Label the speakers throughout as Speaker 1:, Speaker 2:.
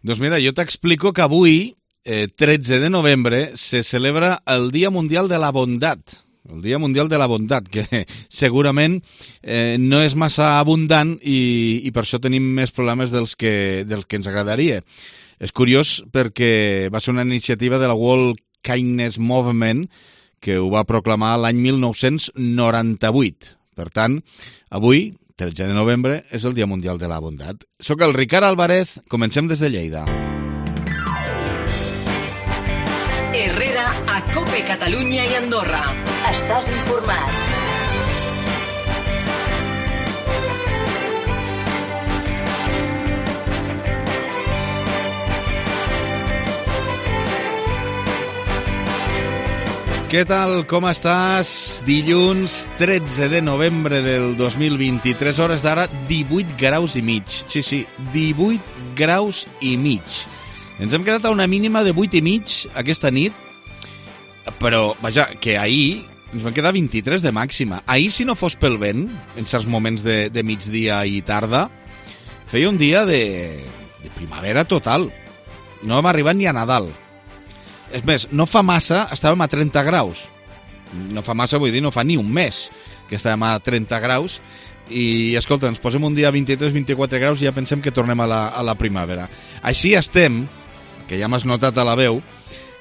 Speaker 1: Doncs mira, jo t'explico que avui, 13 de novembre, se celebra el Dia Mundial de la Bondat. El Dia Mundial de la Bondat, que segurament no és massa abundant i per això tenim més problemes dels que ens agradaria. És curiós perquè va ser una iniciativa de la World Kindness Movement que ho va proclamar l'any 1998. Per tant, avui, 13 de novembre, és el Dia Mundial de la Bondat. Soc el Ricard Álvarez, comencem des de Lleida.
Speaker 2: Herrera a COPE Catalunya i Andorra. Estàs informat.
Speaker 1: Què tal, com estàs? Dilluns 13 de novembre del 2023, hores d'ara 18 graus i mig. Sí, 18 graus i mig. Ens hem quedat a una mínima de 8 i mig aquesta nit, però, vaja, que ahir ens van quedar 23 de màxima. Ahir, si no fos pel vent, en certs moments de migdia i tarda, feia un dia de primavera total. No hem arribat ni a Nadal. És més, no fa massa estàvem a 30 graus. No fa massa, vull dir, no fa ni un mes que estàvem a 30 graus i, escolta, ens posem un dia a 23-24 graus i ja pensem que tornem a la primavera. Així estem, que ja m'has notat a la veu,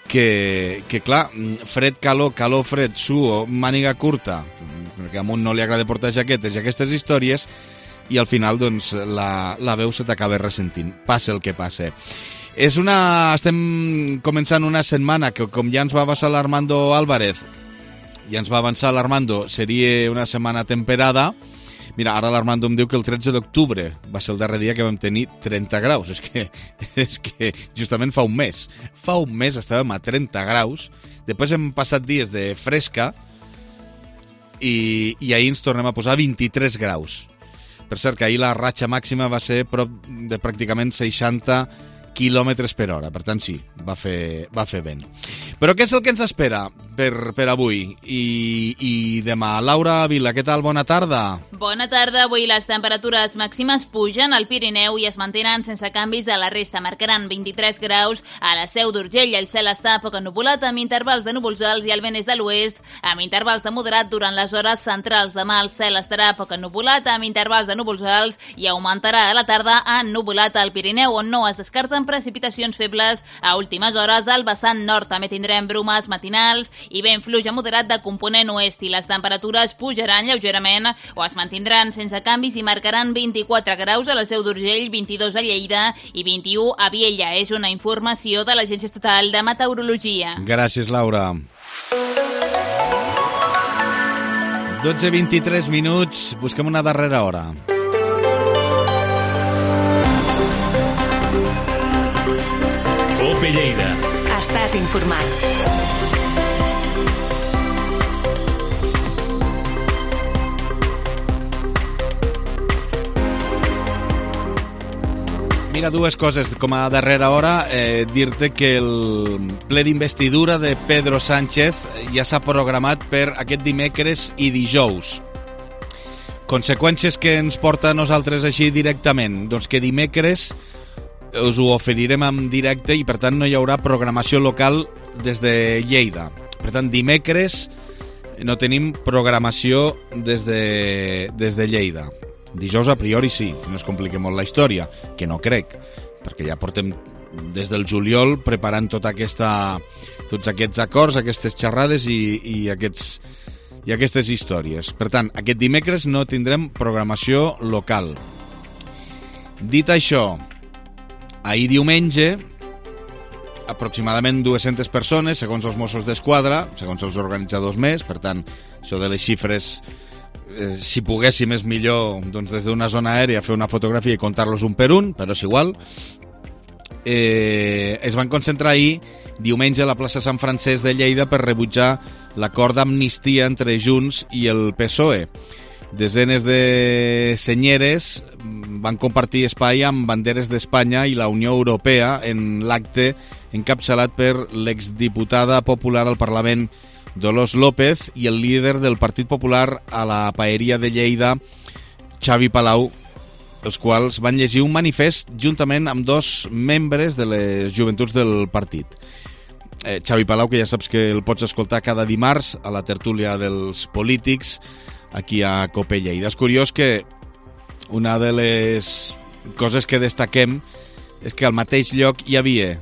Speaker 1: que clar, fred, calor, calor, fred, suor, màniga curta, perquè a un no li agrada portar jaquetes i aquestes històries, i al final, doncs, la veu se t'acaba ressentint. Passa el que passa. Estem començant una setmana que, com ja ens va avançar l'Armando Álvarez, seria una setmana temperada. Mira, ara l'Armando em diu que el 13 d'octubre va ser el darrer dia que vam tenir 30 graus. És que justament fa un mes. Fa un mes estàvem a 30 graus, després hem passat dies de fresca i ahir ens tornem a posar 23 graus. Per cert, que ahir la ratxa màxima va ser prop de pràcticament 60 quilòmetres per hora, per tant sí, va fer vent. Però què és el que ens espera per avui i demà? Laura Vila, què tal? Bona tarda.
Speaker 3: Bona tarda. Avui les temperatures màximes pugen al Pirineu i es mantenen sense canvis a la resta. Marcaran 23 graus a la Seu d'Urgell. El cel està poc ennuvolat amb intervals de núvols alts i el vent és de l'oest amb intervals de moderat durant les hores centrals. Demà el cel estarà poc ennuvolat amb intervals de núvols alts i augmentarà a la tarda ennuvolat al Pirineu, on no es descarten precipitacions febles a últimes hores. Al vessant nord també tindrem brumes matinals i vent fluix a moderat de component oest i les temperatures pujaran lleugerament o es mantindran sense canvis i marcaran 24 graus a la Seu d'Urgell, 22 a Lleida i 21 a Viella. És una informació de l'Agència Estatal de Meteorologia.
Speaker 1: Gràcies, Laura. 12:23 minuts, busquem una darrera hora.
Speaker 2: COPE Lleida.
Speaker 4: Estàs informat.
Speaker 1: Mira, dues coses com a darrera hora. Dir-te que el ple d'investidura de Pedro Sánchez ja s'ha programat per aquest dimecres i dijous. Conseqüències que ens porta a nosaltres així directament? Doncs que dimecres us ho oferirem en directe i per tant no hi haurà programació local des de Lleida. Per tant, dimecres no tenim programació des de Lleida. Dijous a priori sí, no es compliqui molt la història, que no crec, perquè ja portem des del juliol preparant tots aquests acords, aquestes xerrades i aquestes històries. Per tant, aquest dimecres no tindrem programació local. Dit això, ahir diumenge, aproximadament 200 persones, segons els Mossos d'Esquadra, segons els organitzadors més, per tant, això de les xifres, si poguéssim és millor doncs, des d'una zona aèria fer una fotografia i contar-los un per un, però és igual. Es van concentrar ahir, diumenge, a la plaça Sant Francesc de Lleida per rebutjar l'acord d'amnistia entre Junts i el PSOE. Desenes de senyeres van compartir espai amb banderes d'Espanya i la Unió Europea en l'acte encapçalat per l'exdiputada popular al Parlament Dolors López i el líder del Partit Popular a la Paeria de Lleida, Xavi Palau, els quals van llegir un manifest juntament amb 2 membres de les joventuts del partit. Xavi Palau, que ja saps que el pots escoltar cada dimarts a la tertúlia dels polítics aquí a COPE Lleida. És curiós que una de les coses que destaquem és que al mateix lloc hi havia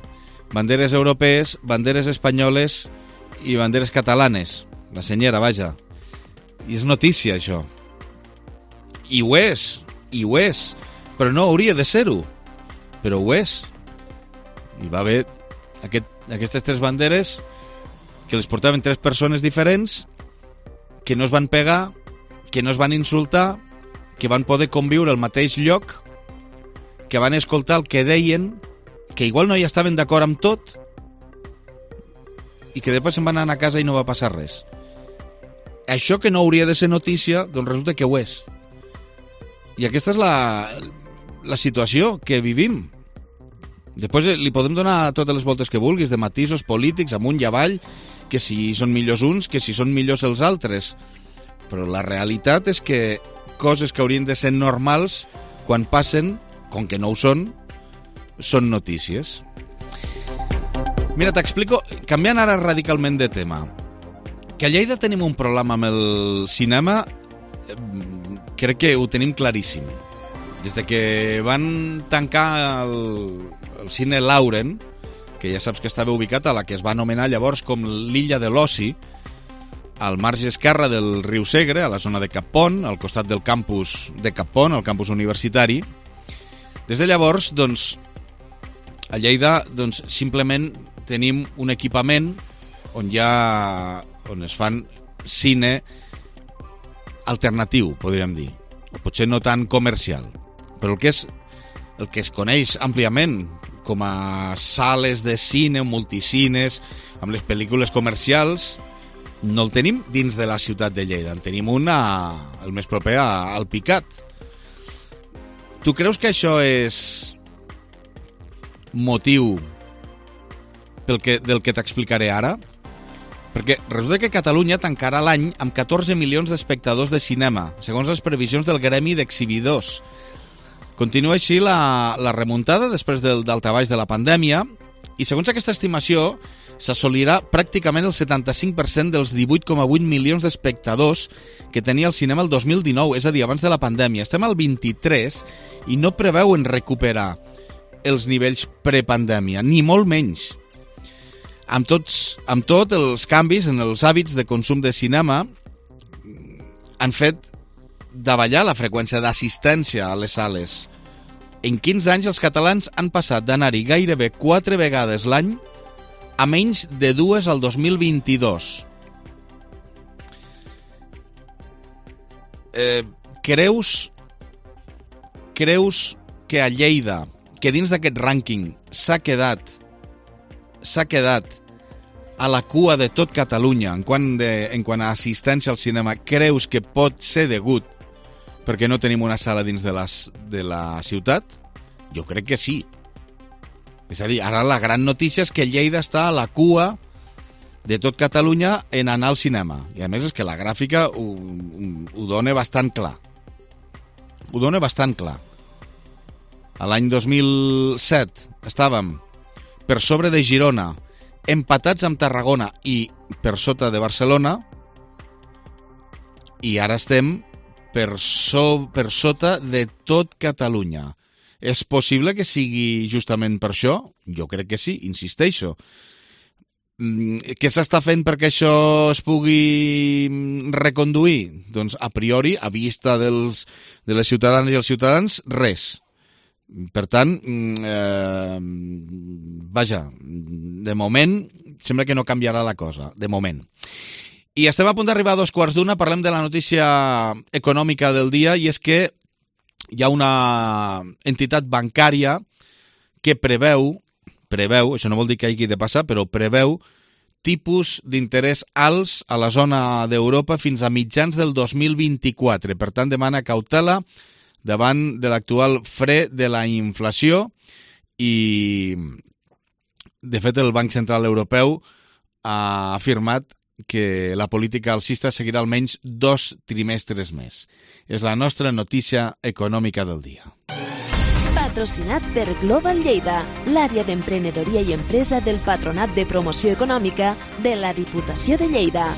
Speaker 1: banderes europees, banderes espanyoles i banderes catalanes. La senyera, vaja. I és notícia, això. I ho és, però no hauria de ser-ho. Però ho és. Hi va haver aquestes 3 banderes que les portaven 3 persones diferents, que no es van pegar, que no es van insultar, que van poder conviure al mateix lloc, que van escoltar el que deien, que igual no hi estaven d'acord amb tot, i que després se'n van anar a casa i no va passar res. Això que no hauria de ser notícia, doncs resulta que ho és. I aquesta és la situació que vivim. Després li podem donar totes les voltes que vulguis, de matisos polítics, amunt i avall, que si són millors uns, que si són millors els altres. Però la realitat és que coses que haurien de ser normals, quan passen, com que no ho són notícies. Mira, t'explico, canviant ara radicalment de tema, que a Lleida tenim un problema amb el cinema, crec que ho tenim claríssim. Des de que van tancar el cine Lauren, que ja saps que estava ubicat a la que es va anomenar llavors com l'illa de l'Oci, al marge esquerre del riu Segre, a la zona de Cap Pont, al costat del campus de Cap Pont, el campus universitari. Des de llavors, doncs, a Lleida, doncs, simplement tenim un equipament on es fan cine alternatiu, podríem dir, o potser no tan comercial, però el que es coneix àmpliament com a sales de cine, multicines, amb les pel·lícules comercials, no el tenim dins de la ciutat de Lleida, en tenim un el més proper al Picat. Tu creus que això és motiu del que t'explicaré ara? Perquè resulta que Catalunya tancarà l'any amb 14 milions d'espectadors de cinema, segons les previsions del Gremi d'Exhibidors. Continua així la remuntada després del daltabaix de la pandèmia i segons aquesta estimació s'assolirà pràcticament el 75% dels 18,8 milions d'espectadors que tenia el cinema el 2019, és a dir, abans de la pandèmia. Estem al 23 i no preveuen recuperar els nivells prepandèmia, ni molt menys. Amb tot, els canvis en els hàbits de consum de cinema han fet davallar la freqüència d'assistència a les sales. En 15 anys els catalans han passat d'anar-hi gairebé 4 vegades l'any a menys de 2 al 2022. Creus que a Lleida, que dins d'aquest rànquing s'ha quedat a la cua de tot Catalunya en quant a assistència al cinema, creus que pot ser degut perquè no tenim una sala dins de la ciutat? Jo crec que sí. És a dir, ara la gran notícia és que Lleida està a la cua de tot Catalunya en anar al cinema. I a més és que la gràfica ho dona bastant clar. Ho dona bastant clar. A l'any 2007 estàvem per sobre de Girona, empatats amb Tarragona i per sota de Barcelona, i ara estem per sota de tot Catalunya. És possible que sigui justament per això? Jo crec que sí, insisteixo. Què s'està fent perquè això es pugui reconduir? Doncs a priori, a vista de les ciutadanes i els ciutadans, res. Per tant, vaja, de moment sembla que no canviarà la cosa, de moment. I estem a punt d'arribar a 2:15, parlem de la notícia econòmica del dia, i és que hi ha una entitat bancària que preveu, això no vol dir que hagi de passar, però preveu tipus d'interès alts a la zona d'Europa fins a mitjans del 2024. Per tant, demana cautela davant de l'actual fre de la inflació i, de fet, el Banc Central Europeu ha afirmat que la política alcista seguirà almenys 2 trimestres més. És la nostra notícia econòmica del dia.
Speaker 5: Patrocinat per Global Lleida, l'àrea d'emprenedoria i empresa del Patronat de Promoció Econòmica de la Diputació de Lleida.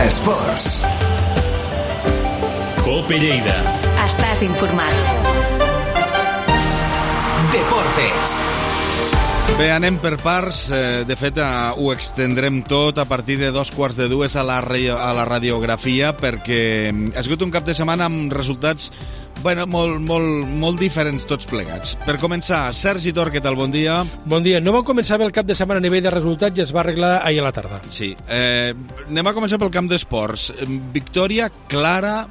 Speaker 6: Esports.
Speaker 7: Cope Lleida.
Speaker 4: Estàs informat.
Speaker 6: Deportes.
Speaker 1: Bé, anem per parts. De fet, ho extendrem tot a partir de 2:45 a la radiografia, perquè ha sigut un cap de setmana amb resultats molt diferents tots plegats. Per començar, Sergi Tor, què tal? Bon dia.
Speaker 8: Bon dia. No vam començar bé el cap de setmana a nivell de resultats i es va arreglar ahir a la tarda.
Speaker 1: Sí. Anem a començar pel camp d'esports. Victòria clara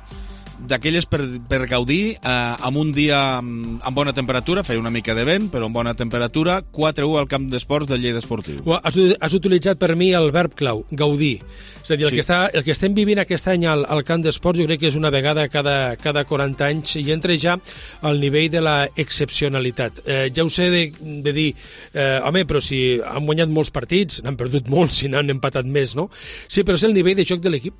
Speaker 1: d'aquelles per gaudir, amb un dia amb bona temperatura, feia una mica de vent, però amb bona temperatura, 4-1 al camp d'esports del Lleida Esportiu.
Speaker 8: Has utilitzat per mi el verb clau, gaudir. És a dir,
Speaker 1: Sí.
Speaker 8: el que estem vivint aquest any al camp d'esports jo crec que és una vegada cada 40 anys i entra ja al nivell de la excepcionalitat. Ja ho sé de dir, home, però si han guanyat molts partits, n'han perdut molts i n'han empatat més, no? Sí, però és el nivell de joc de l'equip.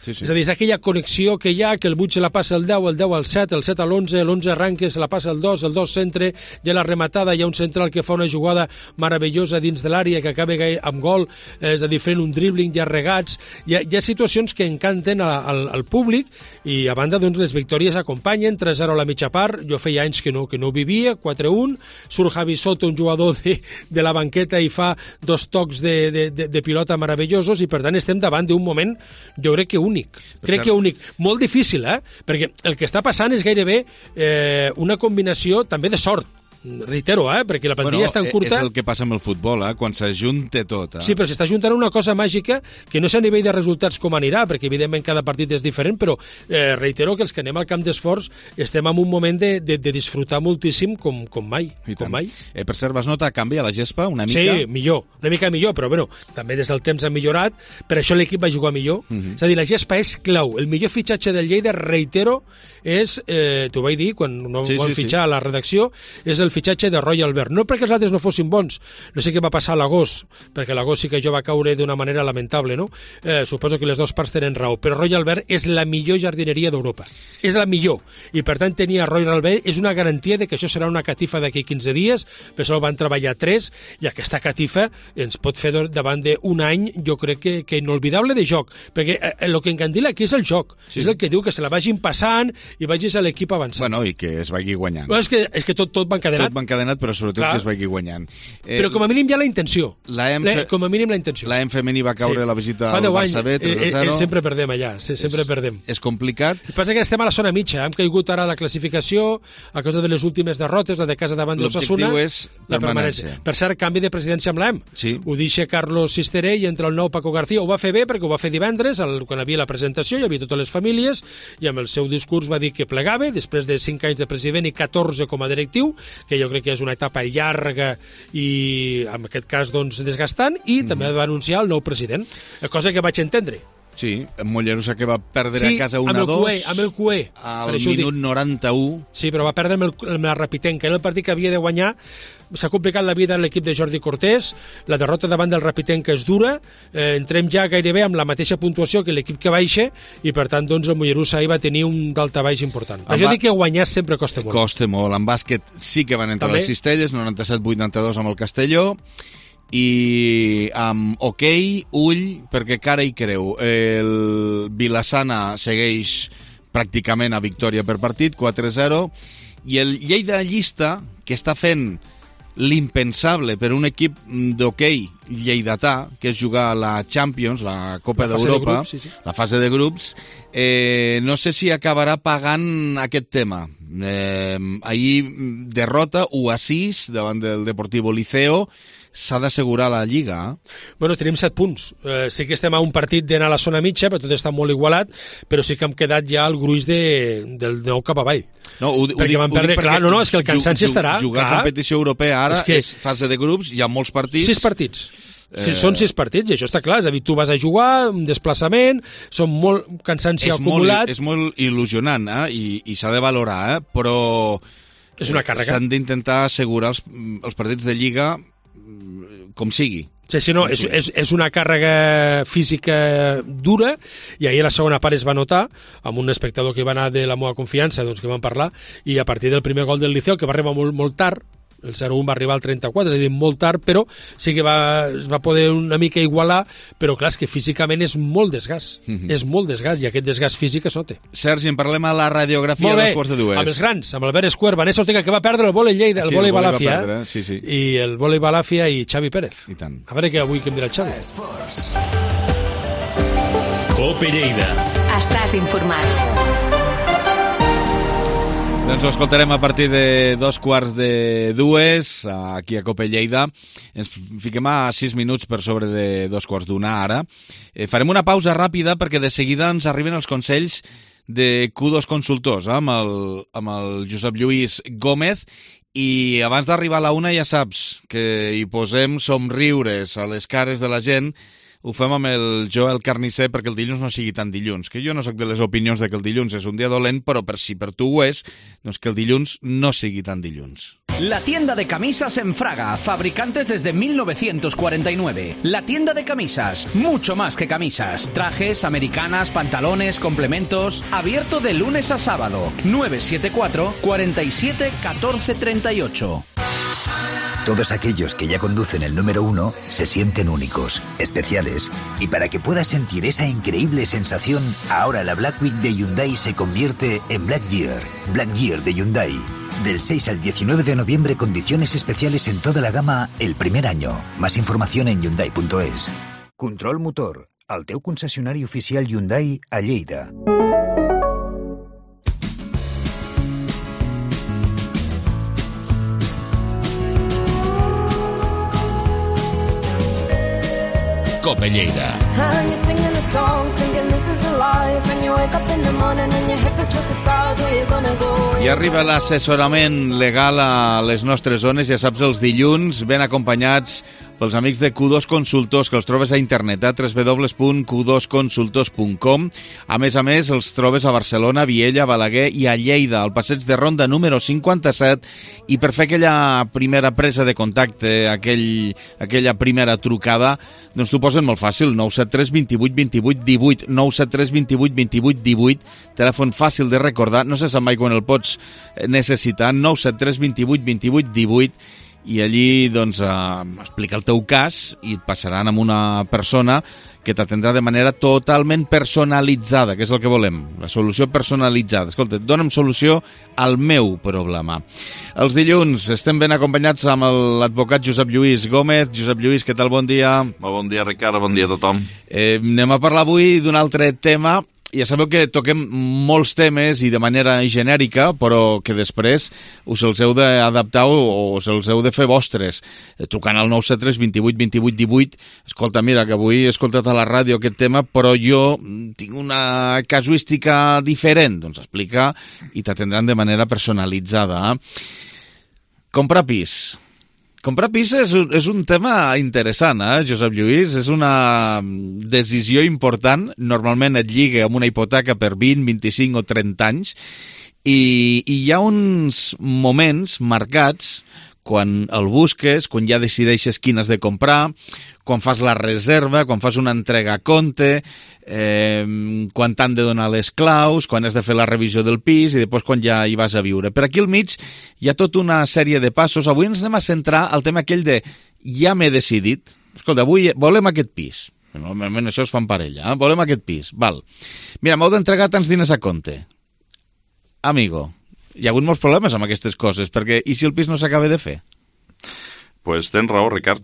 Speaker 1: Sí, sí.
Speaker 8: És a dir, és aquella connexió que hi ha, que el 8 se la passa al 10, el 10 al 7, el 7 a l'11, l'11 arranca, se la passa al 2, el 2 centre, hi ha la rematada, hi ha un central que fa una jugada meravellosa dins de l'àrea, que acaba amb gol, és a dir, fent un dribbling, hi ha regats, hi ha situacions que encanten al públic, i a banda, doncs, les victòries acompanyen, 3-0 a la mitja part, jo feia anys que no ho vivia, 4-1, surt Javi Soto, un jugador de la banqueta, i fa 2 tocs de pilota meravellosos, i per tant estem davant d'un moment, jo crec que únic. Crec que únic. Molt difícil, perquè el que està passant és gairebé una combinació també de sort. Reitero, perquè la plantilla és tan curta...
Speaker 1: És el que passa amb el futbol, quan s'ajunta tot.
Speaker 8: Sí, però s'està juntant una cosa màgica que no sé a nivell de resultats com anirà, perquè evidentment cada partit és diferent, però reitero que els que anem al camp d'esforç estem en un moment de disfrutar moltíssim com mai. Com mai.
Speaker 1: Per cert, vas notar canvi a la gespa una mica?
Speaker 8: Sí, millor, una mica millor, però bueno, també des del temps ha millorat, per això l'equip va jugar millor. És a dir, la gespa és clau. El millor fitxatge del Lleida, reitero, és, t'ho vaig dir quan no van fitxar a la redacció, és el fitxatge de Roy Albert. No perquè els altres no fossin bons, no sé què va passar a l'agost, perquè l'agost sí que jo va caure d'una manera lamentable, no? Suposo que les dues parts tenen raó, però Roy Albert és la millor jardineria d'Europa. És la millor. I per tant tenir a Roy Albert és una garantia de que això serà una catifa d'aquí 15 dies, per això van treballar 3, i aquesta catifa ens pot fer davant d'un any, jo crec que inolvidable de joc, perquè el que encandila aquí és el joc, és el que diu que se la vagin passant i vagis a l'equip avançant.
Speaker 1: Bueno, i que es vagi guanyant.
Speaker 8: Bueno, és que tot va encadenat.
Speaker 1: Tot va encadenat, però sobretot que es vagi guanyant.
Speaker 8: Però com a mínim hi ha la intenció. Com a mínim la intenció.
Speaker 1: La femení va caure la visita al Barça B, 3-0.
Speaker 8: Sempre perdem allà, sempre perdem.
Speaker 1: És complicat.
Speaker 8: El que passa és que estem a la zona mitja, hem caigut ara a la classificació a causa de les últimes derrotes, la de casa davant d'Osasuna.
Speaker 1: L'objectiu és la permanència.
Speaker 8: Per cert, canvi de presidència amb l'EM.
Speaker 1: Sí.
Speaker 8: Ho deixa Carlos Sisteré i entra el nou Paco García. Ho va fer bé perquè ho va fer divendres, quan hi havia la presentació, hi havia totes les famílies, i amb el seu discurs va dir que plegava, després de 5 anys de president i 14 com a directiu, que jo crec que és una etapa llarga i, en aquest cas, doncs, desgastant, i també va anunciar el nou president, cosa que vaig entendre.
Speaker 1: Sí, Mollerussa que va perdre a casa 1-2
Speaker 8: amb el Cué,
Speaker 1: al minut 91.
Speaker 8: Sí, però va perdre amb la Rapitenca. Era el partit que havia de guanyar. S'ha complicat la vida a l'equip de Jordi Cortés. La derrota davant del Rapitenca és dura. Entrem ja gairebé amb la mateixa puntuació que l'equip que baixa, i per tant doncs, el Mollerussa ahir va tenir un daltabaix important. Per això dic que guanyar sempre costa molt.
Speaker 1: Costa molt. En bàsquet sí que van entrar les cistelles, 97-82 amb el Castelló, i amb ull, perquè cara i creu. El Vilassana segueix pràcticament a victòria per partit, 4-0, i el Lleida llista, que està fent l'impensable per un equip d'hoquei lleidatà, que és jugar a la Champions, la Copa d'Europa, la fase de grups, no sé si acabarà pagant aquest tema. Ahir derrota 1-6 davant del Deportivo Liceo. S'ha d'assegurar la Lliga.
Speaker 8: Bueno, tenim 7 punts. Sí que estem a un partit d'anar a la zona mitja, però tot està molt igualat, però sí que hem quedat ja al gruix del nou cap avall.
Speaker 1: No,
Speaker 8: perquè van perdre, clar, és que el cansanci estarà.
Speaker 1: Jugar a competició europea ara és fase de grups, hi ha molts partits.
Speaker 8: 6 partits. Són 6 partits, i això està clar. És a dir, tu vas a jugar, un desplaçament, són molt cansanci acumulat.
Speaker 1: És molt il·lusionant, i s'ha de valorar, però
Speaker 8: És una càrrega.
Speaker 1: S'han d'intentar assegurar els partits de Lliga com sigui.
Speaker 8: Sí, no, és una càrrega física dura, i ahir a la segona part es va notar, amb un espectador que va anar de la meva confiança, doncs, que van parlar, i a partir del primer gol del Liceo, que va arribar molt tard, el 0-1 va arribar al 34, és a dir, molt tard, però sí que es va poder una mica igualar, però clar, és que físicament és molt desgast, és molt desgast, i aquest desgast físic es nota.
Speaker 1: Sergi, en parlem a la radiografia dels quarts de dues.
Speaker 8: Amb els grans, amb Albert Esquer, Vanessa Ortega, que va perdre el vòlei Lleida, el vòlei Balàfia, i el vòlei Balàfia i Xavi Pérez.
Speaker 1: I tant.
Speaker 8: A veure què avui que em dirà el Xavi.
Speaker 4: Cope Lleida. Estàs informat.
Speaker 1: Doncs ho escoltarem a partir de 2:45, aquí a Cope Lleida. Ens fiquem a 6 minuts per sobre de 2:45 ara. Farem una pausa ràpida perquè de seguida ens arriben els consells de Q2 Consultors, amb el Josep Lluís Gómez. I abans d'arribar a la 1 ja saps que hi posem somriures a les cares de la gent. Ho fem amb el Joel Carnisser perquè el dilluns no sigui tan dilluns, que jo no sóc de les opinions de que el dilluns és un dia dolent, però si per tu ho és, doncs que el dilluns no sigui tan dilluns.
Speaker 6: La tienda de camisas en Fraga, fabricantes desde 1949. La tienda de camisas, mucho más que camisas. Trajes, americanas, pantalones, complementos. Abierto de lunes a sábado. 974 47 14 38.
Speaker 7: Todos aquellos que ya conducen el número 1 se sienten únicos, especiales, y para que puedas sentir esa increíble sensación, ahora la Black Week de Hyundai se convierte en Black Year de Hyundai. Del 6 al 19 de noviembre, condiciones especiales en toda la gama el primer año. Más información en Hyundai.es. Control Motor, el teu concessionari oficial Hyundai a Lleida.
Speaker 1: Cope Lleida. I arriba l'assessorament legal a les nostres zones, ja saps, els dilluns, ben acompanyats pels amics de Q2 Consultors, que els trobes a internet, a www.q2consultors.com. A més, els trobes a Barcelona, Viella, Balaguer i a Lleida, al passeig de Ronda número 57, i per fer aquella primera presa de contacte, aquella primera trucada, doncs t'ho posen molt fàcil, 973 28 28 18, 973 28 28 18, telèfon fàcil de recordar, no se sap mai quan el pots necessitar, 973 28 28 18, i allí doncs explica el teu cas i et passaran amb una persona que t'atendrà de manera totalment personalitzada, que és el que volem, la solució personalitzada. Escolta, dona'm solució al meu problema. Els dilluns estem ben acompanyats amb l'advocat Josep Lluís Gómez. Josep Lluís, què tal? Bon dia.
Speaker 9: Bon dia, Ricard, bon dia a tothom.
Speaker 1: Anem a parlar avui d'un altre tema. Ja sabeu que toquem molts temes i de manera genèrica, però que després us els heu d'adaptar o us els heu de fer vostres. Trucant al 973 28 28 18. Escolta, mira, que avui he escoltat a la ràdio aquest tema, però jo tinc una casuística diferent. Doncs explica i t'atendran de manera personalitzada. Comprar pis. Comprar pis és un tema interessant, Josep Lluís? És una decisió important. Normalment et lliga amb una hipoteca per 20, 25 o 30 anys. I hi ha uns moments marcats quan el busques, quan ja decideixes quin has de comprar, quan fas la reserva, quan fas una entrega a compte, quan t'han de donar les claus, quan has de fer la revisió del pis i després quan ja hi vas a viure. Per aquí al mig hi ha tota una sèrie de passos. Avui ens anem a centrar al tema aquell de ja m'he decidit. Escolta, avui volem aquest pis. Normalment això es fa en parella. Volem aquest pis. Val. Mira, m'heu d'entregar tants diners a compte. Amigo, hi ha hagut molts problemes amb aquestes coses, perquè i si el pis no s'acaba de fer?
Speaker 9: Pues tens raó, Ricard,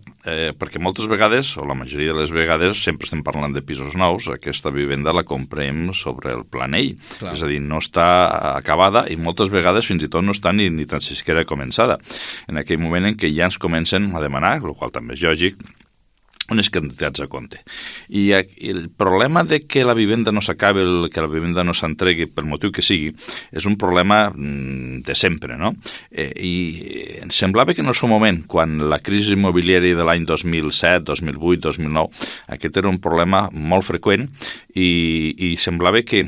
Speaker 9: perquè moltes vegades, o la majoria de les vegades, sempre estem parlant de pisos nous, aquesta vivenda la comprem sobre el planell. Clar. És a dir, no està acabada i moltes vegades fins i tot no està ni tan siquiera començada. En aquell moment en què ja ens comencen a demanar, el qual també és lògic, unes quantitats a compte. I el problema de que la vivenda no s'acabi, que la vivenda no s'entregui pel motiu que sigui, és un problema de sempre, no? I em semblava que en el seu moment, quan la crisi immobiliària de l'any 2007, 2008, 2009, aquest era un problema molt freqüent i semblava que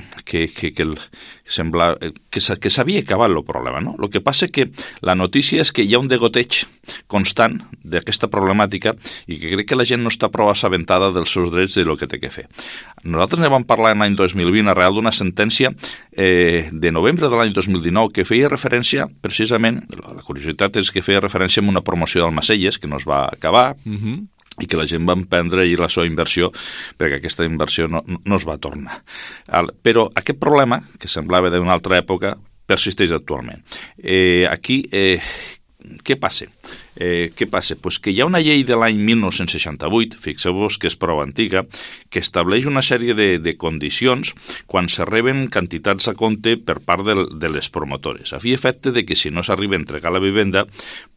Speaker 9: s'havia acabat el problema, no? El que passa que la notícia és que hi ha un degoteig constant d'aquesta problemàtica i que crec que la gent no està prou assabentada dels seus drets i del que té que fer. Nosaltres ne vam parlar l'any 2020 arrel d'una sentència de novembre de l'any 2019 que feia referència, precisament, la curiositat és que feia referència a una promoció d'Almacelles que no es va acabar, i que la gent va emprendre ahir la seva inversió perquè aquesta inversió no es va tornar. Però aquest problema, que semblava d'una altra època, persisteix actualment. Aquí, què passa? Pues que hi ha una llei de l'any 1968, fixeu-vos que és prou antiga, que estableix una sèrie de condicions quan se reben quantitats a compte per part de les promotores. A fi efecte de que si no s'arriba a entregar la vivenda,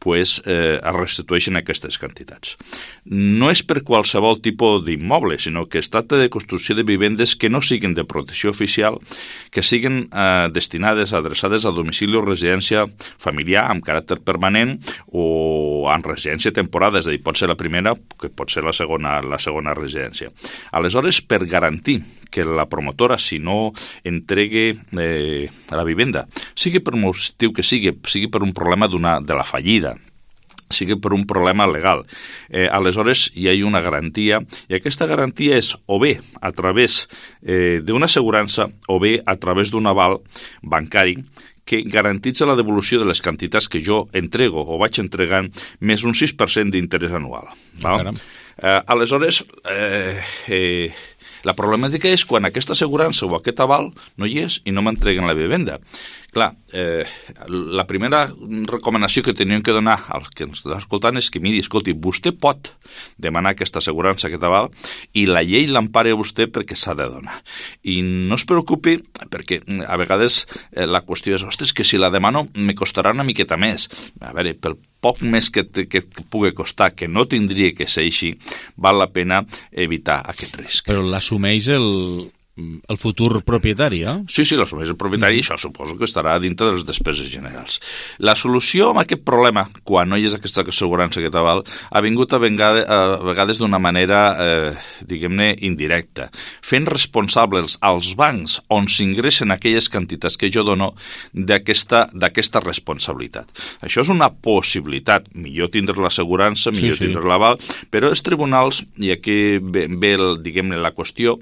Speaker 9: pues, es restitueixen aquestes quantitats. No és per qualsevol tipus d'immoble, sinó que es tracta de construcció de vivendes que no siguin de protecció oficial, que siguin destinades, adreçades a domicili o residència familiar amb caràcter permanent o en residència temporada, és a dir, pot ser la primera, que pot ser la segona residència. Aleshores, per garantir que la promotora, si no entregue la vivenda, sigui per un motiu que sigui per un problema de la fallida, sigui per un problema legal. Aleshores, hi ha una garantia, i aquesta garantia és o bé a través d'una assegurança o bé a través d'un aval bancari que garantitza la devolució de les quantitats que jo entrego o vaig entregant més un 6% d'interès anual. Aleshores, la problemàtica és quan aquesta assegurança o aquest aval no hi és i no m'entreguen la vivenda. Clar, la primera recomanació que teníem que donar als que ens està escoltant és que, miri, escolti, vostè pot demanar aquesta assegurança, aquest aval, i la llei l'empara a vostè perquè s'ha de donar. I no es preocupi, perquè a vegades la qüestió és, ostres, que si la demano me costarà una miqueta més. A veure, pel poc més que pugui costar, que no tindria que ser així, val la pena evitar aquest risc.
Speaker 1: Però l'assumeix el futur propietari, eh?
Speaker 9: Sí, l'assumeix el propietari i això suposo que estarà dintre de les despeses generals. La solució a aquest problema, quan no hi és aquesta assegurança, aquest aval, ha vingut a vegades d'una manera, diguem-ne, indirecta, fent responsables als bancs on s'ingressen aquelles quantitats que jo dono d'aquesta responsabilitat. Això és una possibilitat. Millor tindre l'assegurança, millor tindre l'aval, però els tribunals, i aquí ve diguem-ne, la qüestió,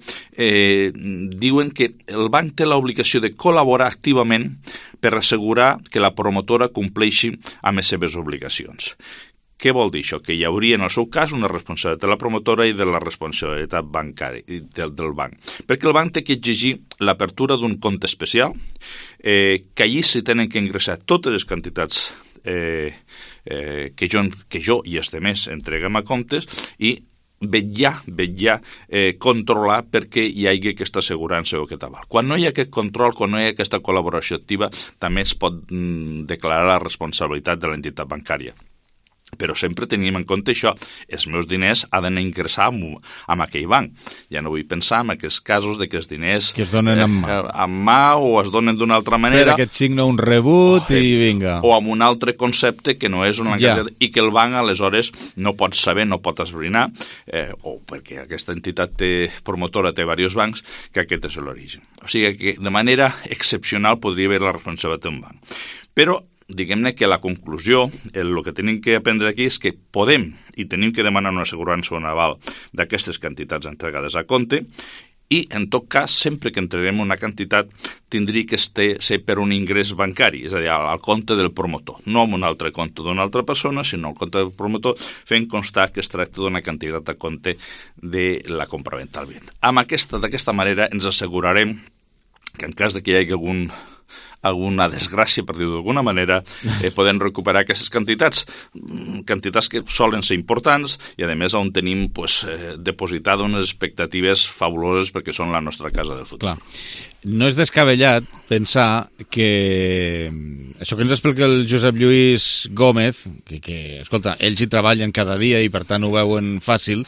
Speaker 9: diuen que el banc té l'obligació de col·laborar activament per assegurar que la promotora compleixi amb les seves obligacions. Què vol dir això? Que hi hauria, en el seu cas, una responsabilitat de la promotora i de la responsabilitat bancària del banc. Perquè el banc té que exigir l'apertura d'un compte especial, que allí s'hi tenen que ingressar totes les quantitats que jo i els altres entreguem a comptes i vetllar, controlar perquè hi hagi aquesta assegurança o aquest aval. Quan no hi ha aquest control, quan no hi ha aquesta col·laboració activa, també es pot declarar la responsabilitat de l'entitat bancària. Però sempre tenim en compte això, els meus diners han d'anar a ingressar en aquell banc. Ja no vull pensar en aquests casos de que els diners
Speaker 1: que es donen en
Speaker 9: mà o es donen d'una altra manera.
Speaker 1: Per aquest signa un rebut i vinga.
Speaker 9: O amb un altre concepte que no és una i que el banc aleshores no pot saber, no pot esbrinar, o perquè aquesta entitat promotora té diversos bancs, que aquest és l'origen. O sigui que de manera excepcional podria haver la responsabilitat d'un banc. Però diguem-ne que la conclusió, el que tenim que aprendre aquí és que podem i tenim que demanar una assegurança o un aval d'aquestes quantitats entregades a compte i, en tot cas, sempre que entreguem una quantitat tindria que ser per un ingrés bancari, és a dir, al compte del promotor, no en un altre compte d'una altra persona, sinó al compte del promotor, fent constar que es tracta d'una quantitat a compte de la compraventa al bé. D'aquesta manera ens assegurarem que en cas de que hi hagi alguna desgràcia, per dir-ho d'alguna manera, podem recuperar aquestes quantitats que solen ser importants i, a més, on tenim depositat unes expectatives fabuloses perquè són la nostra casa del futur.
Speaker 1: Clar. No és descabellat pensar que Això que ens explica el Josep Lluís Gómez, que escolta, ells hi treballen cada dia i per tant ho veuen fàcil,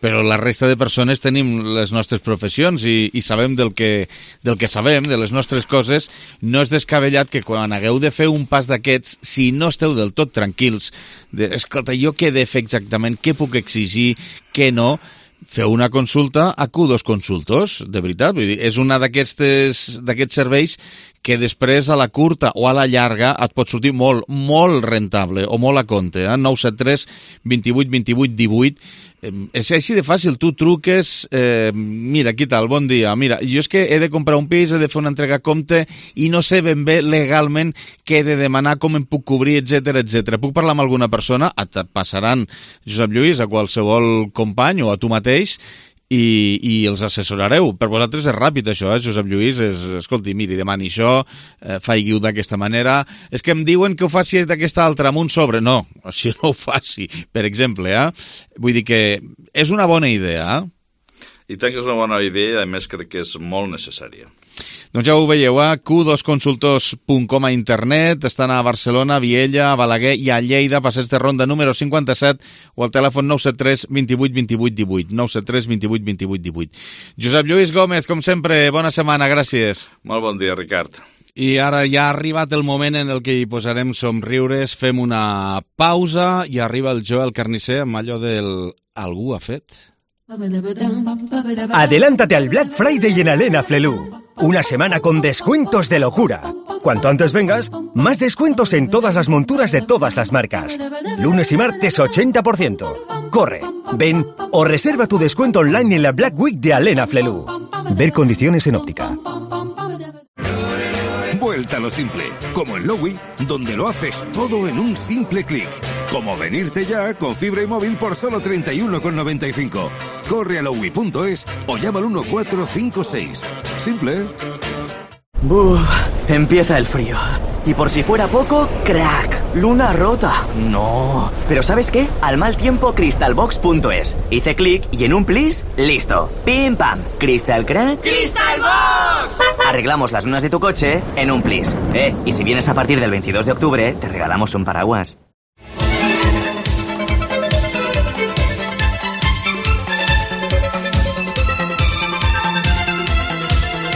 Speaker 1: però la resta de persones tenim les nostres professions i sabem del que sabem, de les nostres coses. No és descabellat que quan hagueu de fer un pas d'aquests, si no esteu del tot tranquils, escolta, jo què he de fer exactament, què puc exigir, què no, feu una consulta a Q2 Consultors, de veritat. Vull dir, és una d'aquests serveis que després a la curta o a la llarga et pot sortir molt, molt rentable o molt a compte. 973 28 28 18. És així de fàcil, tu truques, mira, què tal, bon dia, mira, jo és que he de comprar un pis, he de fer una entrega a compte i no sé ben bé legalment què he de demanar, com em puc cobrir, etc. Puc parlar amb alguna persona? Et passaran, Josep Lluís, a qualsevol company o a tu mateix i els assessorareu. Per vosaltres és ràpid això, Josep Lluís, escolti, miri, demani això, faig-ho d'aquesta manera, és que em diuen que ho faci d'aquesta altra, amb un sobre. No, així no ho faci, per exemple, Vull dir que és una bona idea,
Speaker 9: I tant que és una bona idea, i a més crec que és molt necessària.
Speaker 1: Doncs ja ho veieu, q2consultors.com a internet, estan a Barcelona, Viella, a Balaguer i a Lleida, passeig de Ronda número 57, o al telèfon 973 28 28 18, 973 28 28 18. Josep Lluís Gómez, com sempre, bona setmana, gràcies.
Speaker 9: Molt bon dia, Ricard.
Speaker 1: I ara ja ha arribat el moment en el que hi posarem somriures, fem una pausa i arriba el Joel Carnicer amb allò del algú ha fet.
Speaker 10: Adelántate al Black Friday en Alena Flelu. Una semana con descuentos de locura. Cuanto antes vengas, más descuentos en todas las monturas de todas las marcas. Lunes y martes 80%. Corre, ven o reserva tu descuento online en la Black Week de Alena Flelu. Ver condiciones en óptica.
Speaker 11: Vuelta a lo simple, como en Lowy, donde lo haces todo en un simple clic. Como venirte ya con fibra y móvil por solo 31,95. Corre a lowy.es o llama al 1456. Simple.
Speaker 12: Buf, empieza el frío. Y por si fuera poco, crack, luna rota. No. Pero ¿sabes qué? Al mal tiempo, crystalbox.es. Hice clic y en un plis, listo. Pim pam. Crystal crack.
Speaker 13: ¡Crystalbox!
Speaker 12: Arreglamos las lunas de tu coche en un plis. Y si vienes a partir del 22 de octubre, te regalamos un paraguas.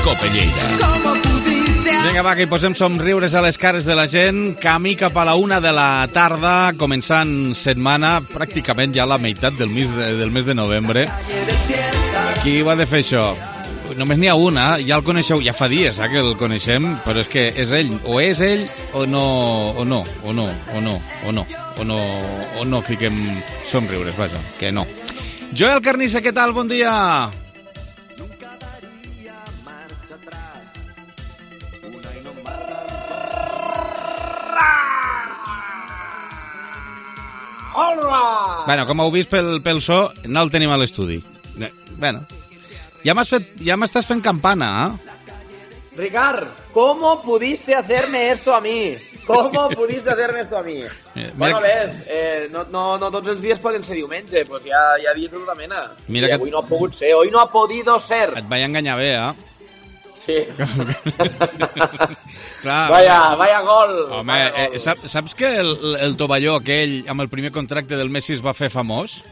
Speaker 1: Cope Lleida. Vinga, va, que hi posem somriures a les cares de la gent. Camí cap a la 1 de la tarda, començant setmana, pràcticament ja la meitat del mes de novembre. Qui va de fer això? Només n'hi ha una, ja el coneixeu, ja fa dies que el coneixem, però és que és ell, o no fiquem somriures, vaja, que no. Joel Carnicer, què tal? Bon dia! Bueno, com heu vist pel so, no el tenim a l'estudi. Bueno, ja m'estàs fent campana,
Speaker 14: Ricard, ¿cómo pudiste hacerme esto a mí? ¿Cómo pudiste hacerme esto a mí? Bueno, ves, no tots els dies poden ser diumenge, pues ja dies de tota mena. I avui no ha pogut ser, hoy no ha podido ser.
Speaker 1: Et vaig enganyar bé,
Speaker 14: Sí.
Speaker 1: Clar,
Speaker 14: vaya gol.
Speaker 1: Home, saps que el tovalló aquell amb el primer contracte del Messi es va fer famós?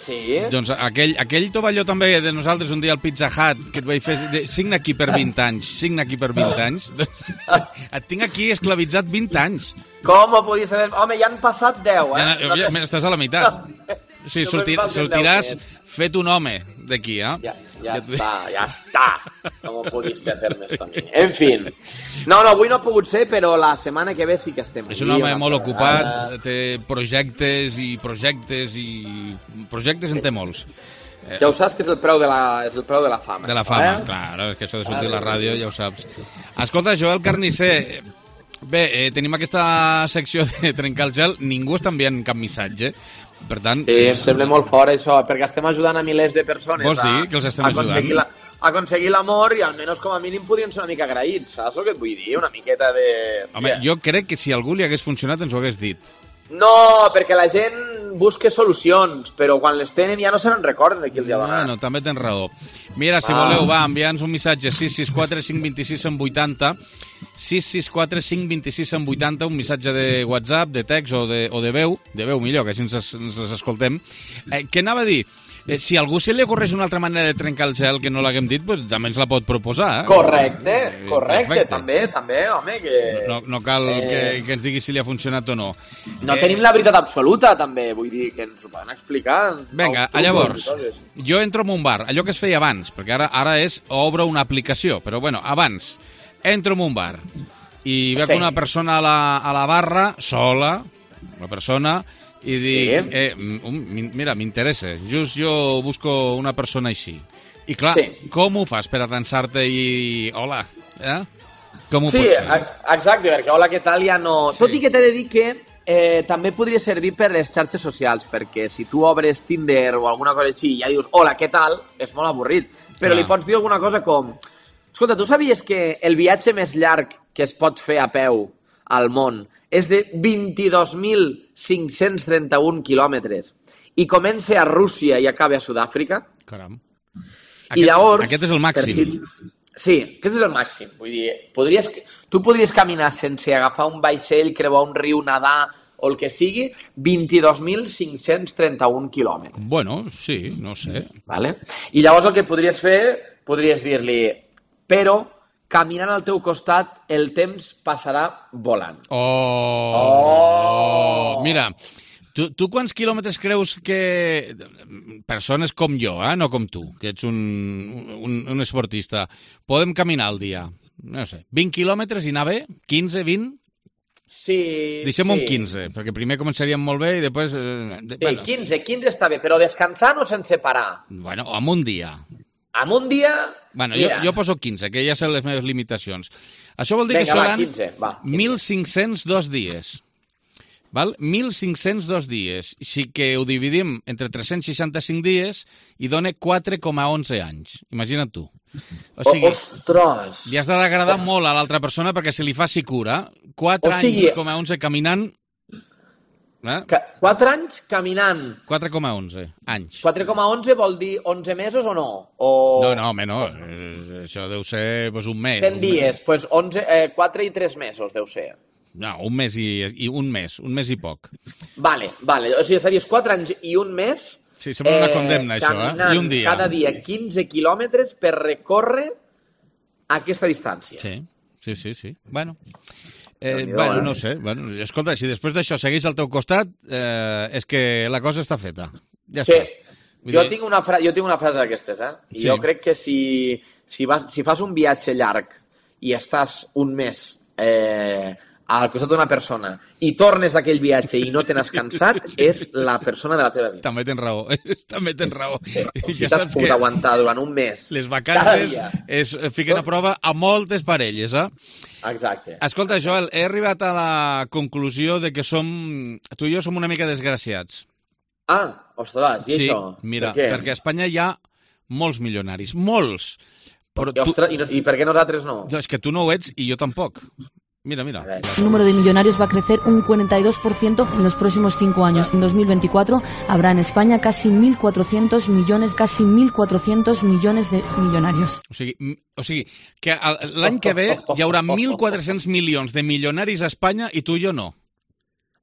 Speaker 14: Sí.
Speaker 1: Doncs aquell tovalló també de nosaltres un dia al Pizza Hut que et vaig fer, signa aquí per 20 anys. Et tinc aquí esclavitzat 20 anys.
Speaker 14: Com ho podies saber? Home, ja han passat 10,
Speaker 1: Estàs a la meitat. Sí, sortiràs fet un home d'aquí,
Speaker 14: Ya está. ¿Cómo pudiste hacerme esto a mí? En fin. No, avui no ha pogut ser, però la setmana que ve sí que estem.
Speaker 1: És un home molt ocupat, té projectes en té molts.
Speaker 14: Ja ho saps que és el preu de la fama.
Speaker 1: De la fama, clar, que això de sortir a la ràdio ja ho saps. Escolta, Joel Carnicer, bé, tenim aquesta secció de trencar el gel, ningú està enviant cap missatge. Per tant...
Speaker 14: Sí, em sembla molt fort això, perquè estem ajudant a milers de persones
Speaker 1: vols dir que els estem ajudant?
Speaker 14: A aconseguir l'amor i almenys com a mínim podrien ser una mica agraïts, saps el que et vull dir? Una miqueta de...
Speaker 1: Home, jo crec que si algú li hagués funcionat ens ho hagués dit.
Speaker 14: No, perquè la gent busca solucions, però quan les tenen ja no se n'en recorden de qui els ha donat.
Speaker 1: Bueno, també tens raó. Mira, si voleu, enviar-nos un missatge 664 526 180, 664 526 180, un missatge de WhatsApp, de text o de veu millor, que així ens les escoltem. Què anava a dir? Si a algú se li ocorreix una altra manera de trencar el gel que no l'haguem dit, pues, també ens la pot proposar.
Speaker 14: Correcte, també, home. Que...
Speaker 1: No cal que ens digui si li ha funcionat o no.
Speaker 14: No tenim la veritat absoluta, també, vull dir, que ens ho poden explicar.
Speaker 1: Vinga, llavors, jo entro en un bar, allò que es feia abans, perquè ara és obro una aplicació, però bueno, abans, entro en un bar i veig una persona a la barra, sola, una persona... i dic, mira, m'interessa, just jo busco una persona així. I clar, com ho fas per atansar-te i... Hola, com ho pots fer?
Speaker 14: Sí, exacte, perquè hola, què tal, ja no... Sí. Tot i que t'he de dir que també podria servir per les xarxes socials, perquè si tu obres Tinder o alguna cosa així i ja dius, hola, què tal, és molt avorrit. Però li pots dir alguna cosa com... Escolta, tu sabies que el viatge més llarg que es pot fer a peu al món és de 22.531 quilòmetres i comença a Rússia i acaba a Sud-àfrica?
Speaker 1: Caram.
Speaker 14: Aquest
Speaker 1: és el màxim.
Speaker 14: Sí, aquest és el màxim. Vull dir, tu podries caminar sense agafar un vaixell, creuar un riu, nedar o el que sigui, 22.531 quilòmetres.
Speaker 1: Bueno, sí, no sé.
Speaker 14: Vale? I llavors el que podries fer, podries dir-li, però caminant al teu costat, el temps passarà volant.
Speaker 1: Mira, tu quants quilòmetres creus que... Persones com jo, no com tu, que ets un esportista, podem caminar al dia? No sé, 20 quilòmetres i anar bé? 15, 20?
Speaker 14: Sí.
Speaker 1: Deixem un 15, perquè primer començaríem molt bé i després...
Speaker 14: Sí, 15 està bé, però descansant o sense parar?
Speaker 1: Bueno, amb un dia.
Speaker 14: Amb un dia...
Speaker 1: Bueno, jo poso 15, que ja sé les meves limitacions. Això vol dir que seran 1.502 dies. Val? 1.502 dies. Si que ho dividim entre 365 dies i dona 4,11 anys. Imagina't tu. O sigui,
Speaker 14: ostres!
Speaker 1: Li has d'agradar molt a l'altra persona perquè se li faci cura. 4 anys, 11 caminant...
Speaker 14: 4 anys caminant.
Speaker 1: 4,11 anys.
Speaker 14: 4,11 vol dir 11 mesos o no?
Speaker 1: No, no. Això deu ser un mes.
Speaker 14: 10 dies, doncs 4 i 3 mesos deu ser.
Speaker 1: No, un mes i un mes i poc.
Speaker 14: Vale. O sigui, series 4 anys i un mes...
Speaker 1: Sí, sembla una condemna, això,
Speaker 14: caminant
Speaker 1: i un dia.
Speaker 14: Cada dia 15 quilòmetres per recórrer aquesta distància.
Speaker 1: Sí. Bueno, no sé. Bueno, escolta, si després d'això segueix al teu costat, és que la cosa està feta. Ja està.
Speaker 14: Jo tinc una frase d'aquestes, I jo crec que si fas un viatge llarg i estàs un mes al costat d'una persona i tornes d'aquell viatge i no te n'has cansat, és la persona de la teva vida.
Speaker 1: També tens raó.
Speaker 14: Si t'has pogut aguantar durant un mes.
Speaker 1: Les vacances es fiquen a prova a moltes parelles,
Speaker 14: Exacte.
Speaker 1: Escolta, Joel, he arribat a la conclusió de que tu i jo som una mica desgraciats.
Speaker 14: Ostres, i això?
Speaker 1: Sí, mira, perquè a Espanya hi ha molts milionaris, molts.
Speaker 14: I per què nosaltres no?
Speaker 1: És que tu no ho ets i jo tampoc. Mira.
Speaker 13: El número de millonarios va a crecer un 42% en los próximos 5 años. En 2024 habrá en España casi 1.400 millones de millonarios.
Speaker 1: O sigui que l'any que ve hi haurà 1.400 milions de milionaris a Espanya i tu i jo no.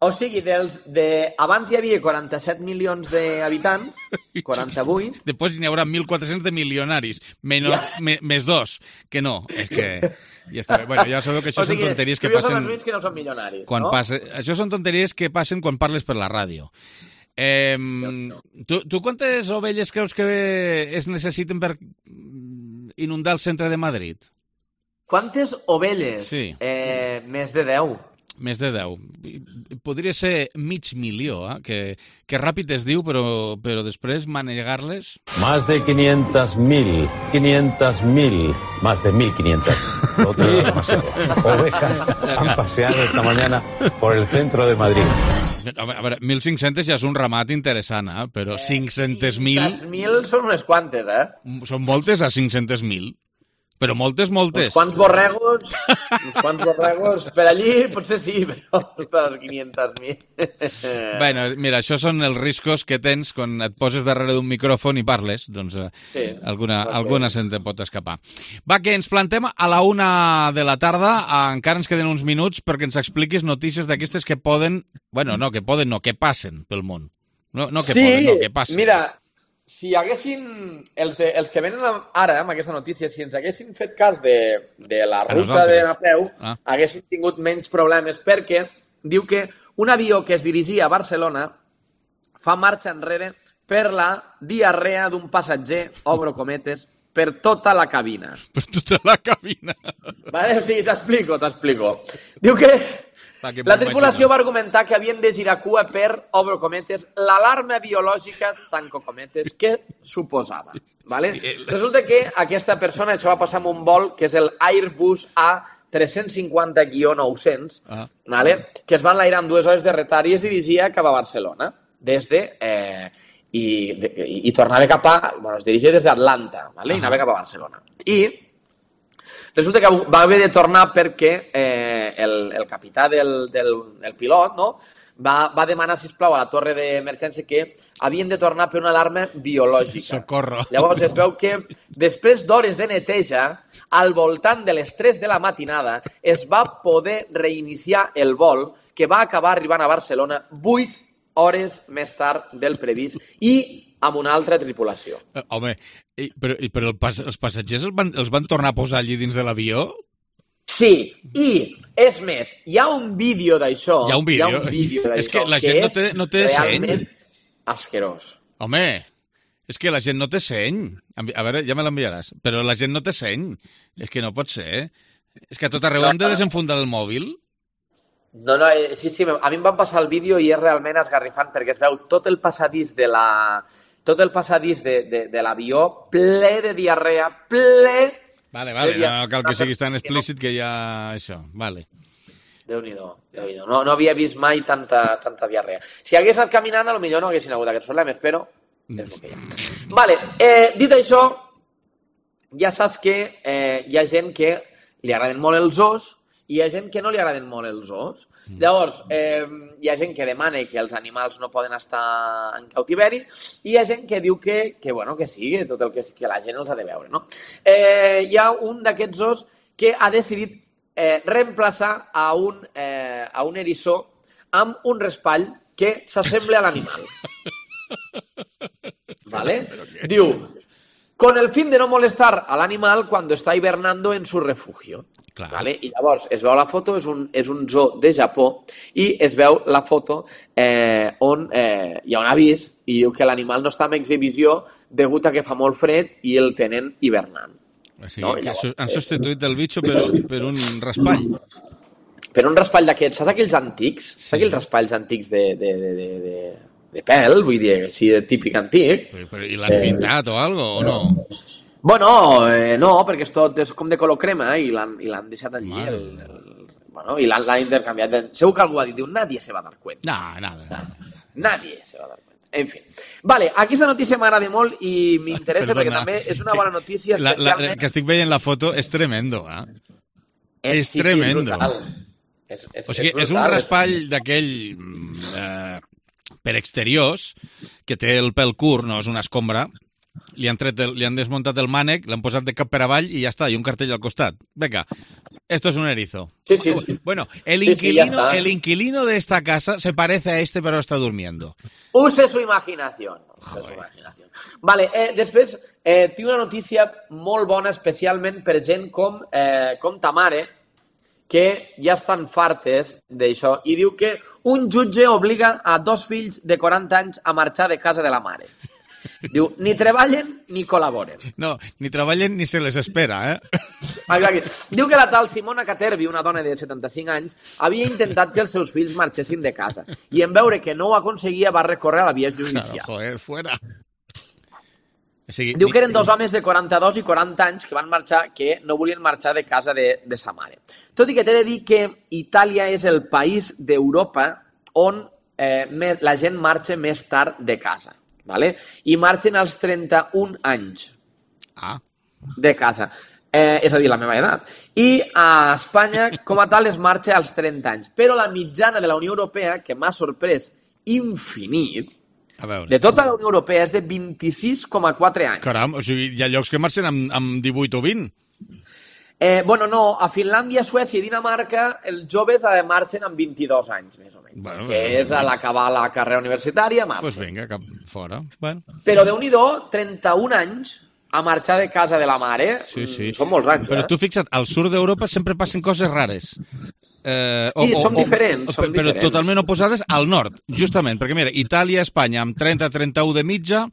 Speaker 14: O sigui, abans hi havia 47 milions d'habitants, 48...
Speaker 1: Després n'hi haurà 1.400 de milionaris, més 2, que no. És que ja està bé. Bueno, ja sabeu que això són tonteries que passen...
Speaker 14: Són els únics que no són milionaris, no?
Speaker 1: Això són tonteries que passen quan parles per la ràdio. Tu quantes ovelles creus que es necessiten per inundar el centre de Madrid?
Speaker 14: Quantes ovelles?
Speaker 1: Sí.
Speaker 14: Més de 10.
Speaker 1: Més de 10. Podria ser 500.000, que ràpid es diu, però després manegar-les...
Speaker 15: Más de 500.000, más de 1.500. Lo otro es demasiado. Ovejas han paseado esta mañana por el centro de Madrid.
Speaker 1: A veure, 1.500 ja és un ramat interessant, però 500.000...
Speaker 14: 500.000 són unes quantes,
Speaker 1: Són moltes a 500.000. Però moltes.
Speaker 14: Uns quants borregos per allí, potser sí, però ostres, 500.000.
Speaker 1: Bueno, mira, això són els riscos que tens quan et poses darrere d'un micròfon i parles, doncs alguna se'n te pot escapar. Va, que ens plantem a la 1 de la tarda, encara ens queden uns minuts perquè ens expliquis notícies d'aquestes que poden, que passen pel món. Que passen.
Speaker 14: Mira, si haguessin, els que venen ara amb aquesta notícia, si ens haguessin fet cas de la ruta de Napeu, haguessin tingut menys problemes, perquè diu que un avió que es dirigia a Barcelona fa marxa enrere per la diarrea d'un passatger, obro cometes, per tota la cabina.
Speaker 1: Per tota la cabina.
Speaker 14: Vale? O sigui, t'explico. Diu que la tripulació va argumentar que havien de girar cua per, obro cometes, l'alarma biològica, tanco cometes, que suposava. Vale? Resulta que aquesta persona, això va passar amb un vol, que és el Airbus A350-900, vale? Que es van enlairar amb 2 hores de retard i es dirigia cap a Barcelona, i tornava cap a... es dirigia des d'Atlanta, vale? I anava cap a Barcelona. I resulta que va haver de tornar perquè el capità del pilot, no?, va demanar, sisplau, a la torre d'emergència que havien de tornar per una alarma biològica.
Speaker 1: Socorro.
Speaker 14: Llavors es veu que després d'hores de neteja, al voltant de les 3 de la matinada, es va poder reiniciar el vol, que va acabar arribant a Barcelona 8 hores més tard del previst i amb una altra tripulació.
Speaker 1: Home, però els passatgers els van tornar a posar allí dins de l'avió?
Speaker 14: Sí, i és més, hi ha un vídeo d'això.
Speaker 1: Hi ha un vídeo d'això. És que la gent no té seny.
Speaker 14: Realment asquerós.
Speaker 1: Home, és que la gent no té seny. A veure, ja me l'enviaràs. Però la gent no té seny. És que no pot ser. És que a tot arreu hem de desenfundar el mòbil.
Speaker 14: No, sí, a mi em van passar el vídeo i és realment esgarrifant perquè es veu tot el passadís de l'avió ple de diarrea, ple...
Speaker 1: Vale, no cal que siguis tan explícit que ja això, vale.
Speaker 14: Déu-n'hi-do. No havia vist mai tanta diarrea. Si hagués anat caminant, potser no haguessin hagut aquests problemes, però és el que hi ha. Vale, dit això, ja saps que hi ha gent que li agraden molt els os i hi ha gent que no li agraden molt els os. Llavors, hi ha gent que demana que els animals no poden estar en cautiveri i hi ha gent que diu que sí, que tot el que la gent els ha de veure, no? Hi ha un d'aquests os que ha decidit reemplaçar a un eriçó amb un raspall que s'assembla a l'animal. ¿Vale? Diu, con el fin de no molestar al animal cuando está hibernando en su refugio. ¿Vale? I llavors es veu la foto, és un zoo de Japó, i es veu la foto on hi ha un avís i diu que l'animal no està en exhibició degut a que fa molt fred i el tenen hibernant.
Speaker 1: Sí, no? Llavors, han substituït el bitxo per un raspall.
Speaker 14: Per un raspall d'aquests, saps aquells antics? Saps aquells raspalls antics de pèl, vull dir, així de típic antic?
Speaker 1: I l'han pintat o alguna cosa, o no?
Speaker 14: Bueno, no, perquè és com de color crema i l'han deixat allí. I l'han intercanviat. Segur que algú ha dit, nadie se va a dar cuenta.
Speaker 1: No, nada.
Speaker 14: Nadie se va a dar cuenta. En fin. Vale, aquesta notícia m'agrada molt i m'interessa perquè també és una bona notícia especialment...
Speaker 1: Que estic veient la foto és tremendo, eh? És tremendo. O sigui, és un raspall d'aquell per exteriors que té el pèl curt, no és una escombra. Li han desmuntat el mànec, l'han posat de cap per avall i ja està, i un cartell al costat. Venga, esto es un erizo.
Speaker 14: Sí.
Speaker 1: Bueno, el inquilino de esta casa se parece a este, pero está durmiendo.
Speaker 14: Use su imaginación. Vale, després tinc una notícia molt bona, especialment per gent com ta mare, que ja estan fartes d'això, i diu que un jutge obliga a 2 fills de 40 anys a marxar de casa de la mare. Diu, ni treballen ni col·laboren.
Speaker 1: No, ni treballen ni se les espera,
Speaker 14: Diu que la tal Simona Caterbi, una dona de 75 anys, havia intentat que els seus fills marxessin de casa i en veure que no ho aconseguia va recórrer a la via judicial.
Speaker 1: Joder, fuera.
Speaker 14: Diu que eren 2 homes de 42 i 40 anys que van marxar, que no volien marxar de casa de sa mare. Tot i que t'he de dir que Itàlia és el país d'Europa on la gent marxa més tard de casa. Vale? I marxen als 31 anys de casa. és a dir, la meva edat. I a Espanya, com a tal, es marxa als 30 anys. Però la mitjana de la Unió Europea, que m'ha sorprès infinit, de tota la Unió Europea és de 26,4 anys.
Speaker 1: Caram, o sigui, hi ha llocs que marxen amb 18 o 20.
Speaker 14: Bueno, no, a Finlàndia, Suècia i Dinamarca els joves marxen amb 22 anys, més o menys. Bueno, que és a l'acabar la carrera universitària, marxen.
Speaker 1: Doncs vinga, cap fora. Bueno.
Speaker 14: Però Déu-n'hi-do, 31 anys a marxar de casa de la mare, són molts anys.
Speaker 1: Però tu fixa't, al sud d'Europa sempre passen coses rares.
Speaker 14: Som diferents.
Speaker 1: Però totalment oposades al nord, justament, perquè mira, Itàlia, Espanya amb 30-31 de mitja,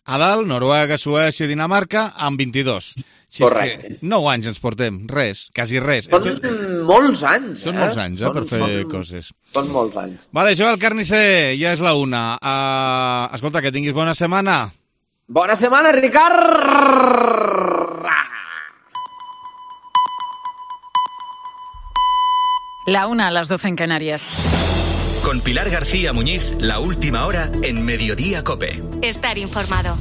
Speaker 1: a dalt, Noruega, Suècia i Dinamarca amb 22.
Speaker 14: Correcte.
Speaker 1: 9 anys ens portem, res, quasi res.
Speaker 14: Són molts anys,
Speaker 1: Són molts anys, per fer coses.
Speaker 14: Són molts anys.
Speaker 1: Vale, Joel Carnicer, ja és la 1. Escolta, que tinguis bona setmana.
Speaker 14: Bona setmana, Ricard!
Speaker 16: La 1 a las 12 en Canarias.
Speaker 17: Con Pilar García Muñiz, la última hora en Mediodía COPE.
Speaker 4: Estar informado.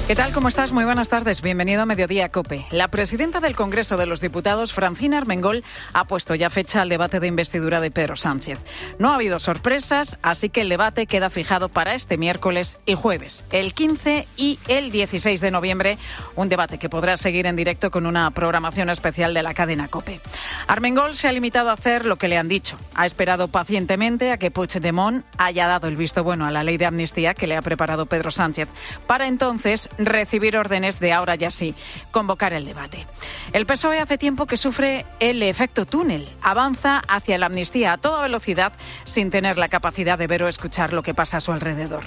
Speaker 16: ¿Qué tal? ¿Cómo estás? Muy buenas tardes. Bienvenido a Mediodía COPE. La presidenta del Congreso de los Diputados, Francina Armengol, ha puesto ya fecha al debate de investidura de Pedro Sánchez. No ha habido sorpresas, así que el debate queda fijado para este miércoles y jueves, el 15 y el 16 de noviembre, un debate que podrá seguir en directo con una programación especial de la cadena COPE. Armengol se ha limitado a hacer lo que le han dicho. Ha esperado pacientemente a que Puigdemont haya dado el visto bueno a la ley de amnistía que le ha preparado Pedro Sánchez, para entonces recibir órdenes de ahora ya sí convocar el debate. El PSOE hace tiempo que sufre el efecto túnel. Avanza hacia la amnistía a toda velocidad sin tener la capacidad de ver o escuchar lo que pasa a su alrededor.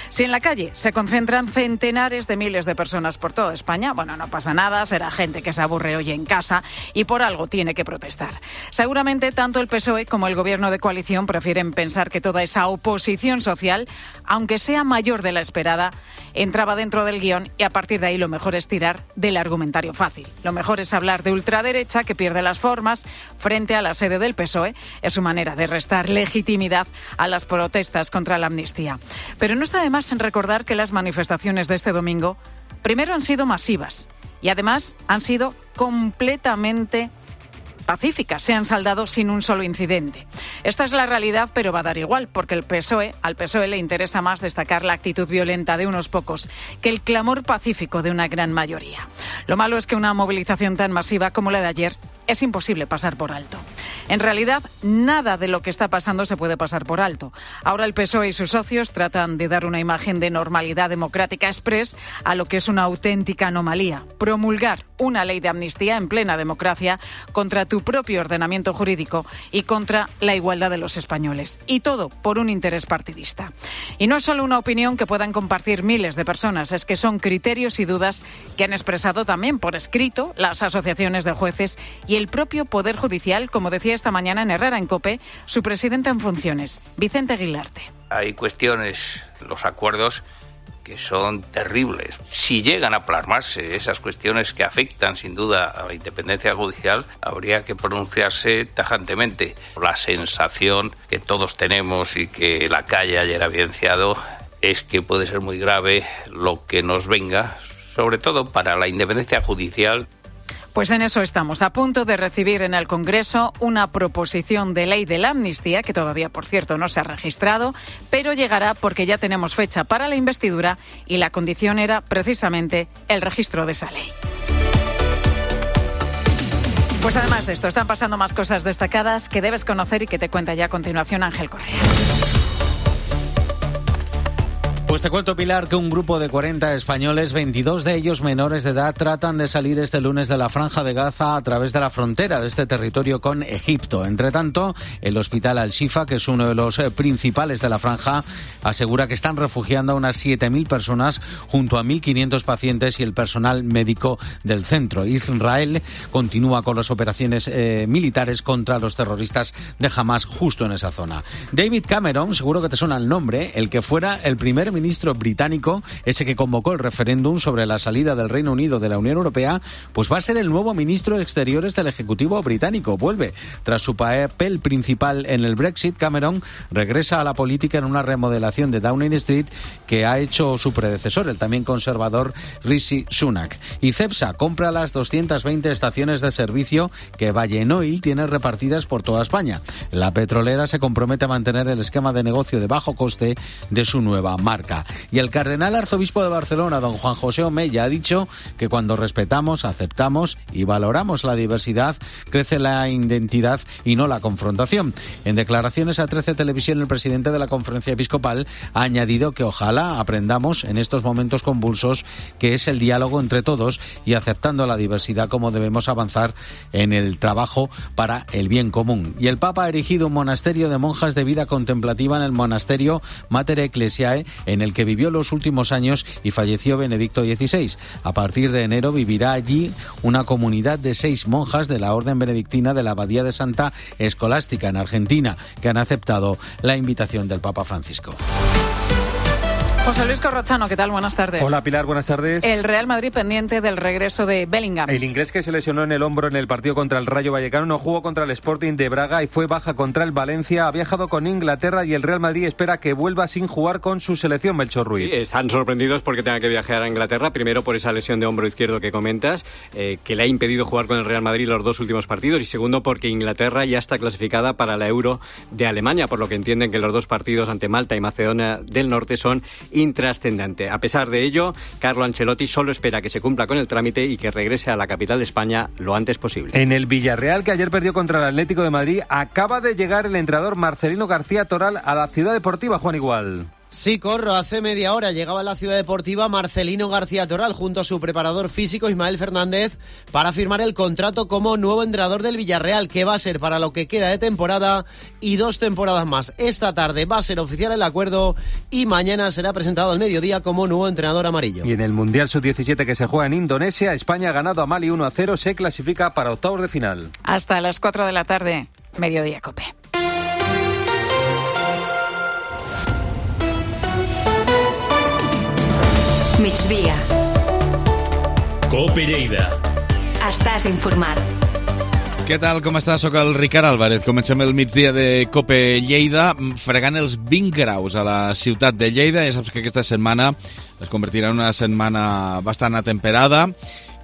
Speaker 16: Si en la calle se concentran centenares de miles de personas por toda España, bueno, no pasa nada, será gente que se aburre hoy en casa y por algo tiene que protestar. Seguramente tanto el PSOE como el gobierno de coalición prefieren pensar que toda esa oposición social, aunque sea mayor de la esperada, entraba dentro del guión y a partir de ahí lo mejor es tirar del argumentario fácil. Lo mejor es hablar de ultraderecha que pierde las formas frente a la sede del PSOE. Es su manera de restar legitimidad a las protestas contra la amnistía. Pero no está de más en recordar que las manifestaciones de este domingo primero han sido masivas y además han sido completamente pacíficas, se han saldado sin un solo incidente. Esta es la realidad, pero va a dar igual, porque al PSOE le interesa más destacar la actitud violenta de unos pocos que el clamor pacífico de una gran mayoría. Lo malo es que una movilización tan masiva como la de ayer es imposible pasar por alto. En realidad, nada de lo que está pasando se puede pasar por alto. Ahora el PSOE y sus socios tratan de dar una imagen de normalidad democrática express a lo que es una auténtica anomalía. Promulgar una ley de amnistía en plena democracia contra tu propio ordenamiento jurídico y contra la igualdad de los españoles. Y todo por un interés partidista. Y no es solo una opinión que puedan compartir miles de personas, es que son criterios y dudas que han expresado también por escrito las asociaciones de jueces y el propio Poder Judicial, como decía esta mañana en Herrera en COPE, su presidente en funciones, Vicente Aguilarte.
Speaker 18: Hay cuestiones, los acuerdos, que son terribles. Si llegan a plasmarse esas cuestiones que afectan sin duda a la independencia judicial, habría que pronunciarse tajantemente. La sensación que todos tenemos y que la calle ayer ha evidenciado es que puede ser muy grave lo que nos venga, sobre todo para la independencia judicial.
Speaker 16: Pues en eso estamos, a punto de recibir en el Congreso una proposición de ley de la amnistía, que todavía, por cierto, no se ha registrado, pero llegará porque ya tenemos fecha para la investidura y la condición era precisamente el registro de esa ley. Pues además de esto, están pasando más cosas destacadas que debes conocer y que te cuenta ya a continuación Ángel Correa.
Speaker 19: Pues te cuento, Pilar, que un grupo de 40 españoles, 22 de ellos menores de edad, tratan de salir este lunes de la Franja de Gaza a través de la frontera de este territorio con Egipto. Entre tanto, el hospital Al-Shifa, que es uno de los principales de la franja, asegura que están refugiando a unas 7.000 personas junto a 1.500 pacientes y el personal médico del centro. Israel continúa con las operaciones militares contra los terroristas de Hamas justo en esa zona. David Cameron, seguro que te suena el nombre, el que fuera el primer ministro ministro británico, ese que convocó el referéndum sobre la salida del Reino Unido de la Unión Europea, pues va a ser el nuevo ministro de Exteriores del Ejecutivo británico. Vuelve. Tras su papel principal en el Brexit, Cameron regresa a la política en una remodelación de Downing Street que ha hecho su predecesor, el también conservador Rishi Sunak. Y Cepsa compra las 220 estaciones de servicio que Vallenoil tiene repartidas por toda España. La petrolera se compromete a mantener el esquema de negocio de bajo coste de su nueva marca. Y el cardenal arzobispo de Barcelona, don Juan José Omeya, ha dicho que cuando respetamos, aceptamos y valoramos la diversidad, crece la identidad y no la confrontación. En declaraciones a 13 Televisión, el presidente de la Conferencia Episcopal ha añadido que ojalá aprendamos en estos momentos convulsos que es el diálogo entre todos y aceptando la diversidad como debemos avanzar en el trabajo para el bien común. Y el Papa ha erigido un monasterio de monjas de vida contemplativa en el monasterio Mater Ecclesiae, en el que vivió los últimos años y falleció Benedicto XVI. A partir de enero vivirá allí una comunidad de 6 monjas de la Orden Benedictina de la Abadía de Santa Escolástica en Argentina, que han aceptado la invitación del Papa Francisco.
Speaker 16: José Luis Corrochano, ¿qué tal? Buenas tardes.
Speaker 20: Hola Pilar, buenas tardes.
Speaker 16: El Real Madrid pendiente del regreso de Bellingham.
Speaker 20: El inglés, que se lesionó en el hombro en el partido contra el Rayo Vallecano, no jugó contra el Sporting de Braga y fue baja contra el Valencia. Ha viajado con Inglaterra y el Real Madrid espera que vuelva sin jugar con su selección, Melchor Ruiz.
Speaker 21: Sí, están sorprendidos porque tenga que viajar a Inglaterra, primero por esa lesión de hombro izquierdo que comentas, que le ha impedido jugar con el Real Madrid los 2 últimos partidos, y segundo porque Inglaterra ya está clasificada para la Euro de Alemania, por lo que entienden que los 2 partidos ante Malta y Macedonia del Norte son intrascendentes. A pesar de ello, Carlo Ancelotti solo espera que se cumpla con el trámite y que regrese a la capital de España lo antes posible.
Speaker 20: En el Villarreal, que ayer perdió contra el Atlético de Madrid, acaba de llegar el entrenador Marcelino García Toral a la Ciudad Deportiva. Juan Igual.
Speaker 22: Sí, Corro, hace media hora llegaba a la Ciudad Deportiva Marcelino García Toral junto a su preparador físico Ismael Fernández para firmar el contrato como nuevo entrenador del Villarreal, que va a ser para lo que queda de temporada y 2 temporadas más. Esta tarde va a ser oficial el acuerdo y mañana será presentado al mediodía como nuevo entrenador amarillo.
Speaker 20: Y en el Mundial Sub-17 que se juega en Indonesia, España ha ganado a Mali 1-0, se clasifica para octavos de final.
Speaker 16: Hasta las 4 de la tarde, Mediodía Cope.
Speaker 4: Migdia. Cope Lleida. Estàs informat.
Speaker 1: Què tal, com estàs? Soc el Ricard Álvarez. Comencem el migdia de Cope Lleida fregant els 20 graus a la ciutat de Lleida. Ja saps que aquesta setmana es convertirà en una setmana bastant atemperada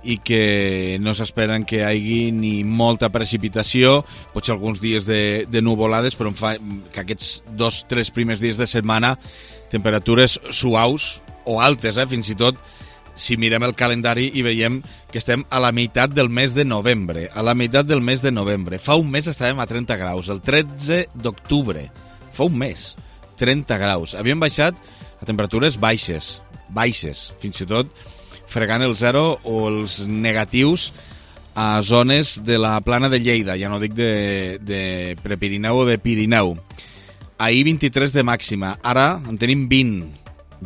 Speaker 1: i que no s'esperen que hi hagi ni molta precipitació, potser alguns dies de nuvolades, però em fa que aquests 2-3 primers dies de setmana temperatures suaus o altes, fins i tot si mirem el calendari i veiem que estem a la meitat del mes de novembre. A la meitat del mes de novembre. Fa un mes estàvem a 30 graus, el 13 d'octubre. Fa un mes, 30 graus. Havíem baixat a temperatures baixes, fins i tot fregant el 0 o els negatius a zones de la plana de Lleida, ja no dic de Prepirineu o de Pirineu. Ahir 23 de màxima, ara en tenim 20,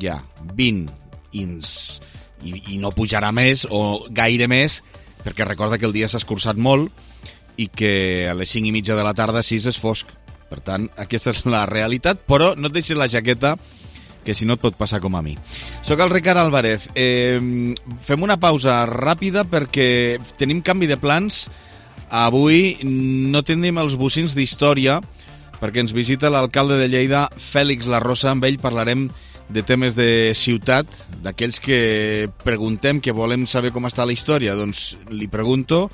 Speaker 1: ja, 20, i no pujarà més o gaire més, perquè recorda que el dia s'ha escurçat molt i que a les 5:30 de la tarda 6 és fosc. Per tant, aquesta és la realitat, però no et deixis la jaqueta, que si no et pot passar com a mi. Soc el Ricard Álvarez. Fem una pausa ràpida perquè tenim canvi de plans. Avui no tenim els bocins d'història perquè ens visita l'alcalde de Lleida, Fèlix Larrosa. Amb ell parlarem de temes de ciutat, d'aquells que preguntem, que volem saber com està la història. Doncs li pregunto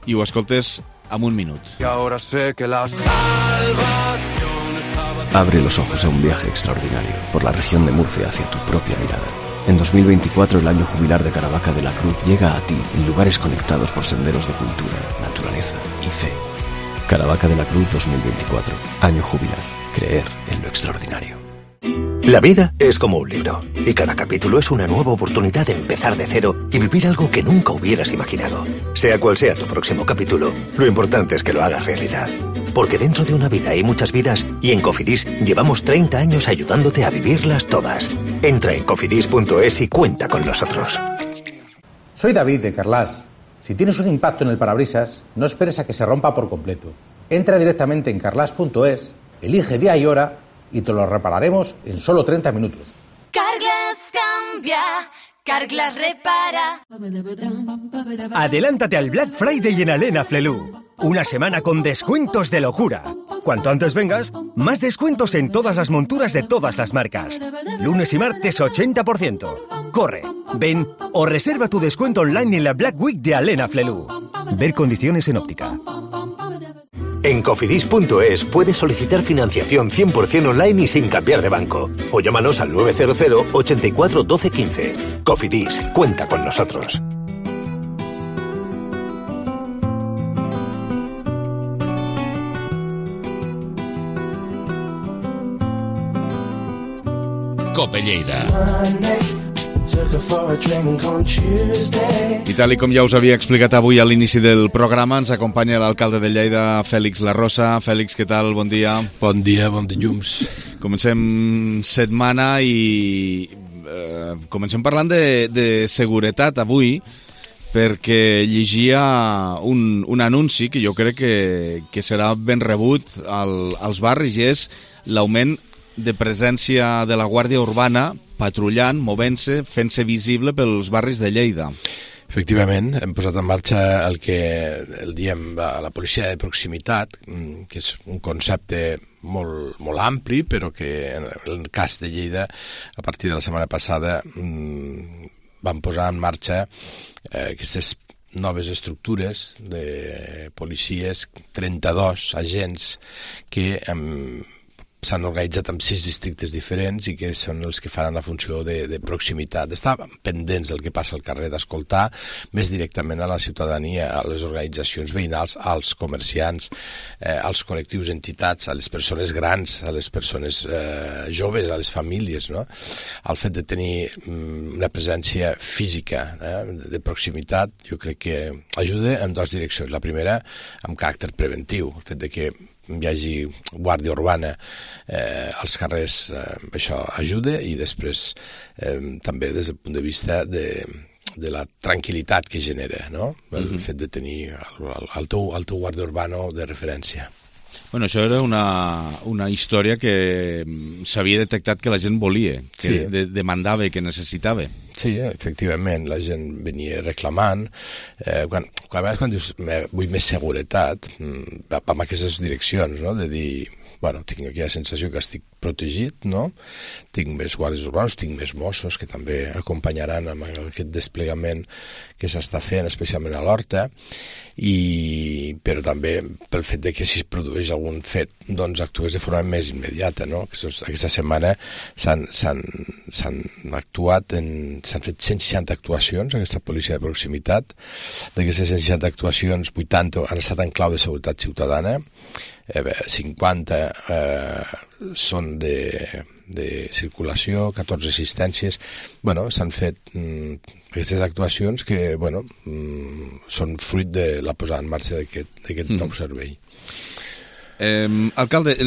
Speaker 1: i ho escoltes en un minut.
Speaker 23: Y ahora sé que la salvación estaba... Abre los ojos a un viaje extraordinario por la región de Murcia hacia tu propia mirada. En 2024 el año jubilar de Caravaca de la Cruz llega a ti en lugares conectados por senderos de cultura, naturaleza y fe. Caravaca de la Cruz 2024. Año jubilar. Creer en lo extraordinario.
Speaker 24: La vida es como un libro, y cada capítulo es una nueva oportunidad de empezar de cero y vivir algo que nunca hubieras imaginado. Sea cual sea tu próximo capítulo, lo importante es que lo hagas realidad. Porque dentro de una vida hay muchas vidas, y en Cofidis llevamos 30 años ayudándote a vivirlas todas. Entra en cofidis.es y cuenta con nosotros.
Speaker 25: Soy David de Carlas. Si tienes un impacto en el parabrisas, no esperes a que se rompa por completo. Entra directamente en carlas.es, elige día y hora y te lo repararemos en solo 30 minutos.
Speaker 2: Carglass cambia, Carglass repara.
Speaker 10: Adelántate al Black Friday en Alena Flelu. Una semana con descuentos de locura. Cuanto antes vengas, más descuentos en todas las monturas de todas las marcas. Lunes y martes 80%. Corre, ven o reserva tu descuento online en la Black Week de Alena Flelu. Ver condiciones en óptica.
Speaker 24: En cofidis.es puedes solicitar financiación 100% online y sin cambiar de banco. O llámanos al 900 84 12 15. Cofidis, cuenta con nosotros.
Speaker 1: Cope Lleida. I tal com ja us havia explicat avui a l'inici del programa, ens acompanya l'alcalde de Lleida, Fèlix Larrosa. Fèlix, què tal? Bon dia.
Speaker 3: Bon dia, bon dilluns. Comencem
Speaker 1: setmana i comencem parlant de seguretat avui, perquè llegia un anunci que jo crec que serà ben rebut als barris, i és l'augment de presència de la Guàrdia Urbana patrullant, movent-se, fent-se visible pels barris de Lleida.
Speaker 3: Efectivament, hem posat en marxa el que el diem la policia de proximitat, que és un concepte molt ampli, però que en el cas de Lleida, a partir de la setmana passada, vam posar en marxa aquestes noves estructures de policies, 32 agents que s'han organitzat en 6 districtes diferents i que són els que faran la funció de proximitat, d'estar pendents del que passa al carrer, d'escoltar més directament a la ciutadania, a les organitzacions veïnals, als comerciants, als col·lectius, entitats, a les persones grans, a les persones joves, a les famílies, no? El fet de tenir una presència física de proximitat, jo crec que ajuda en dues direccions. La primera, amb caràcter preventiu, el fet de que hi hagi guàrdia urbana als carrers, això ajuda, i després també des del punt de vista de la tranquil·litat que genera, no? El fet de tenir el teu guàrdia urbana de referència.
Speaker 1: Bueno, això era una història que s'havia detectat que la gent volia, que demandava i que necessitava.
Speaker 3: Sí, efectivament, la gent venia reclamant. Quan dius vull més seguretat, va amb aquestes direccions, no? De dir, bueno, tinc aquella sensació que estic protegit, no? Tinc més guàrdies urbanos, tinc més Mossos que també acompanyaran amb aquest desplegament que s'està fent, especialment a l'Horta, però també pel fet de que si es produeix algun fet, doncs actues de forma més immediata, no? Aquesta setmana s'han fet 160 actuacions, aquesta policia de proximitat. D'aquestes 160 actuacions, 80 han estat en clau de seguretat ciutadana, 50 són de circulació, 14 assistències. Bueno, s'han fet aquestes actuacions que són fruit de la posada en marxa d'aquest nou servei.
Speaker 1: Alcalde,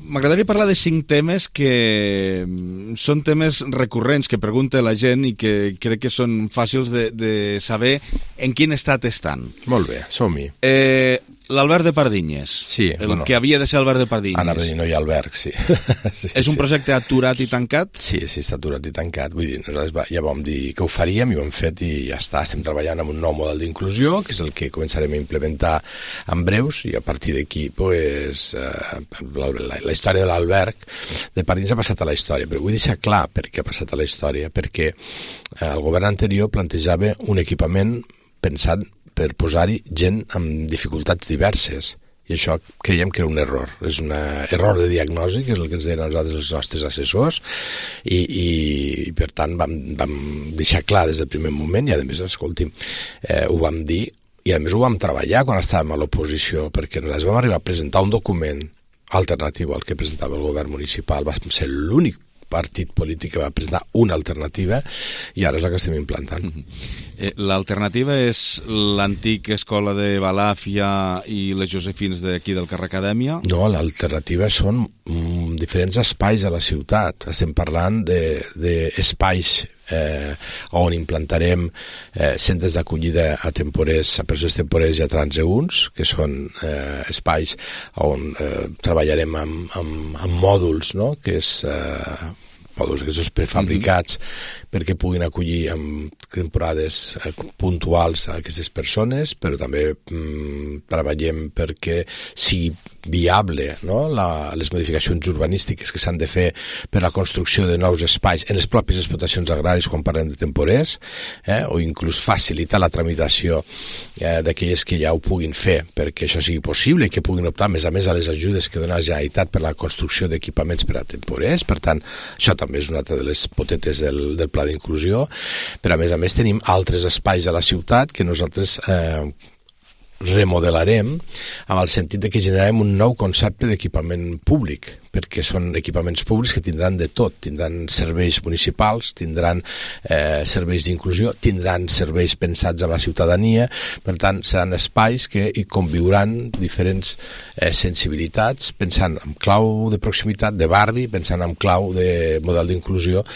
Speaker 1: m'agradaria parlar de 5 temes que són temes recurrents que pregunta la gent i que crec que són fàcils de saber en quin estat estan.
Speaker 3: Molt bé, som-hi.
Speaker 1: L'Alberg de Pardinyes, que havia de ser Alberg de Pardinyes.
Speaker 3: Anava a dir, no hi ha alberg, sí.
Speaker 1: És un projecte aturat i tancat?
Speaker 3: Sí, està aturat i tancat. Vull dir, nosaltres ja vam dir que ho faríem i ho hem fet i ja està. Estem treballant amb un nou model d'inclusió, que és el que començarem a implementar en breus, i a partir d'aquí, la història de l'alberg de Pardinyes ha passat a la història. Però vull deixar clar per què ha passat a la història, perquè el govern anterior plantejava un equipament pensat per posar-hi gent amb dificultats diverses. I això creiem que era un error. És un error de diagnosi, que és el que ens deien a nosaltres els nostres assessors, i per tant vam deixar clar des del primer moment, i a més, escolti'm, ho vam dir, i a més ho vam treballar quan estàvem a l'oposició, perquè nosaltres vam arribar a presentar un document alternatiu al que presentava el govern municipal. Va ser l'únic partit polític que va presentar una alternativa, i ara és la que estem implantant.
Speaker 1: L'alternativa és l'antic escola de Balàfia i les Josefines d'aquí del carrer Acadèmia?
Speaker 3: No, l'alternativa són diferents espais a la ciutat. Estem parlant d'espais on implantarem centres d'acollida a temporers, a persones temporers i a transeünts, que són espais on treballarem amb mòduls, no? Que és mòduls aquests prefabricats, perquè puguin acollir en temporades puntuals a aquestes persones, però també treballem perquè sigui viable, no? Les modificacions urbanístiques que s'han de fer per la construcció de nous espais en les pròpies explotacions agràries quan parlem de temporers, o inclús facilitar la tramitació d'aquelles que ja ho puguin fer perquè això sigui possible i que puguin optar a més a les ajudes que dona la Generalitat per la construcció d'equipaments per a temporers. Per tant, això també és una altra de les potetes del pla d'inclusió, però a més tenim altres espais a la ciutat que nosaltres remodelarem amb el sentit de que generarem un nou concepte d'equipament públic, perquè són equipaments públics que tindran de tot, tindran serveis municipals, tindran serveis d'inclusió, tindran serveis pensats a la ciutadania, per tant seran espais que hi conviuran diferents sensibilitats, pensant en clau de proximitat, de barri, pensant en clau de model d'inclusió,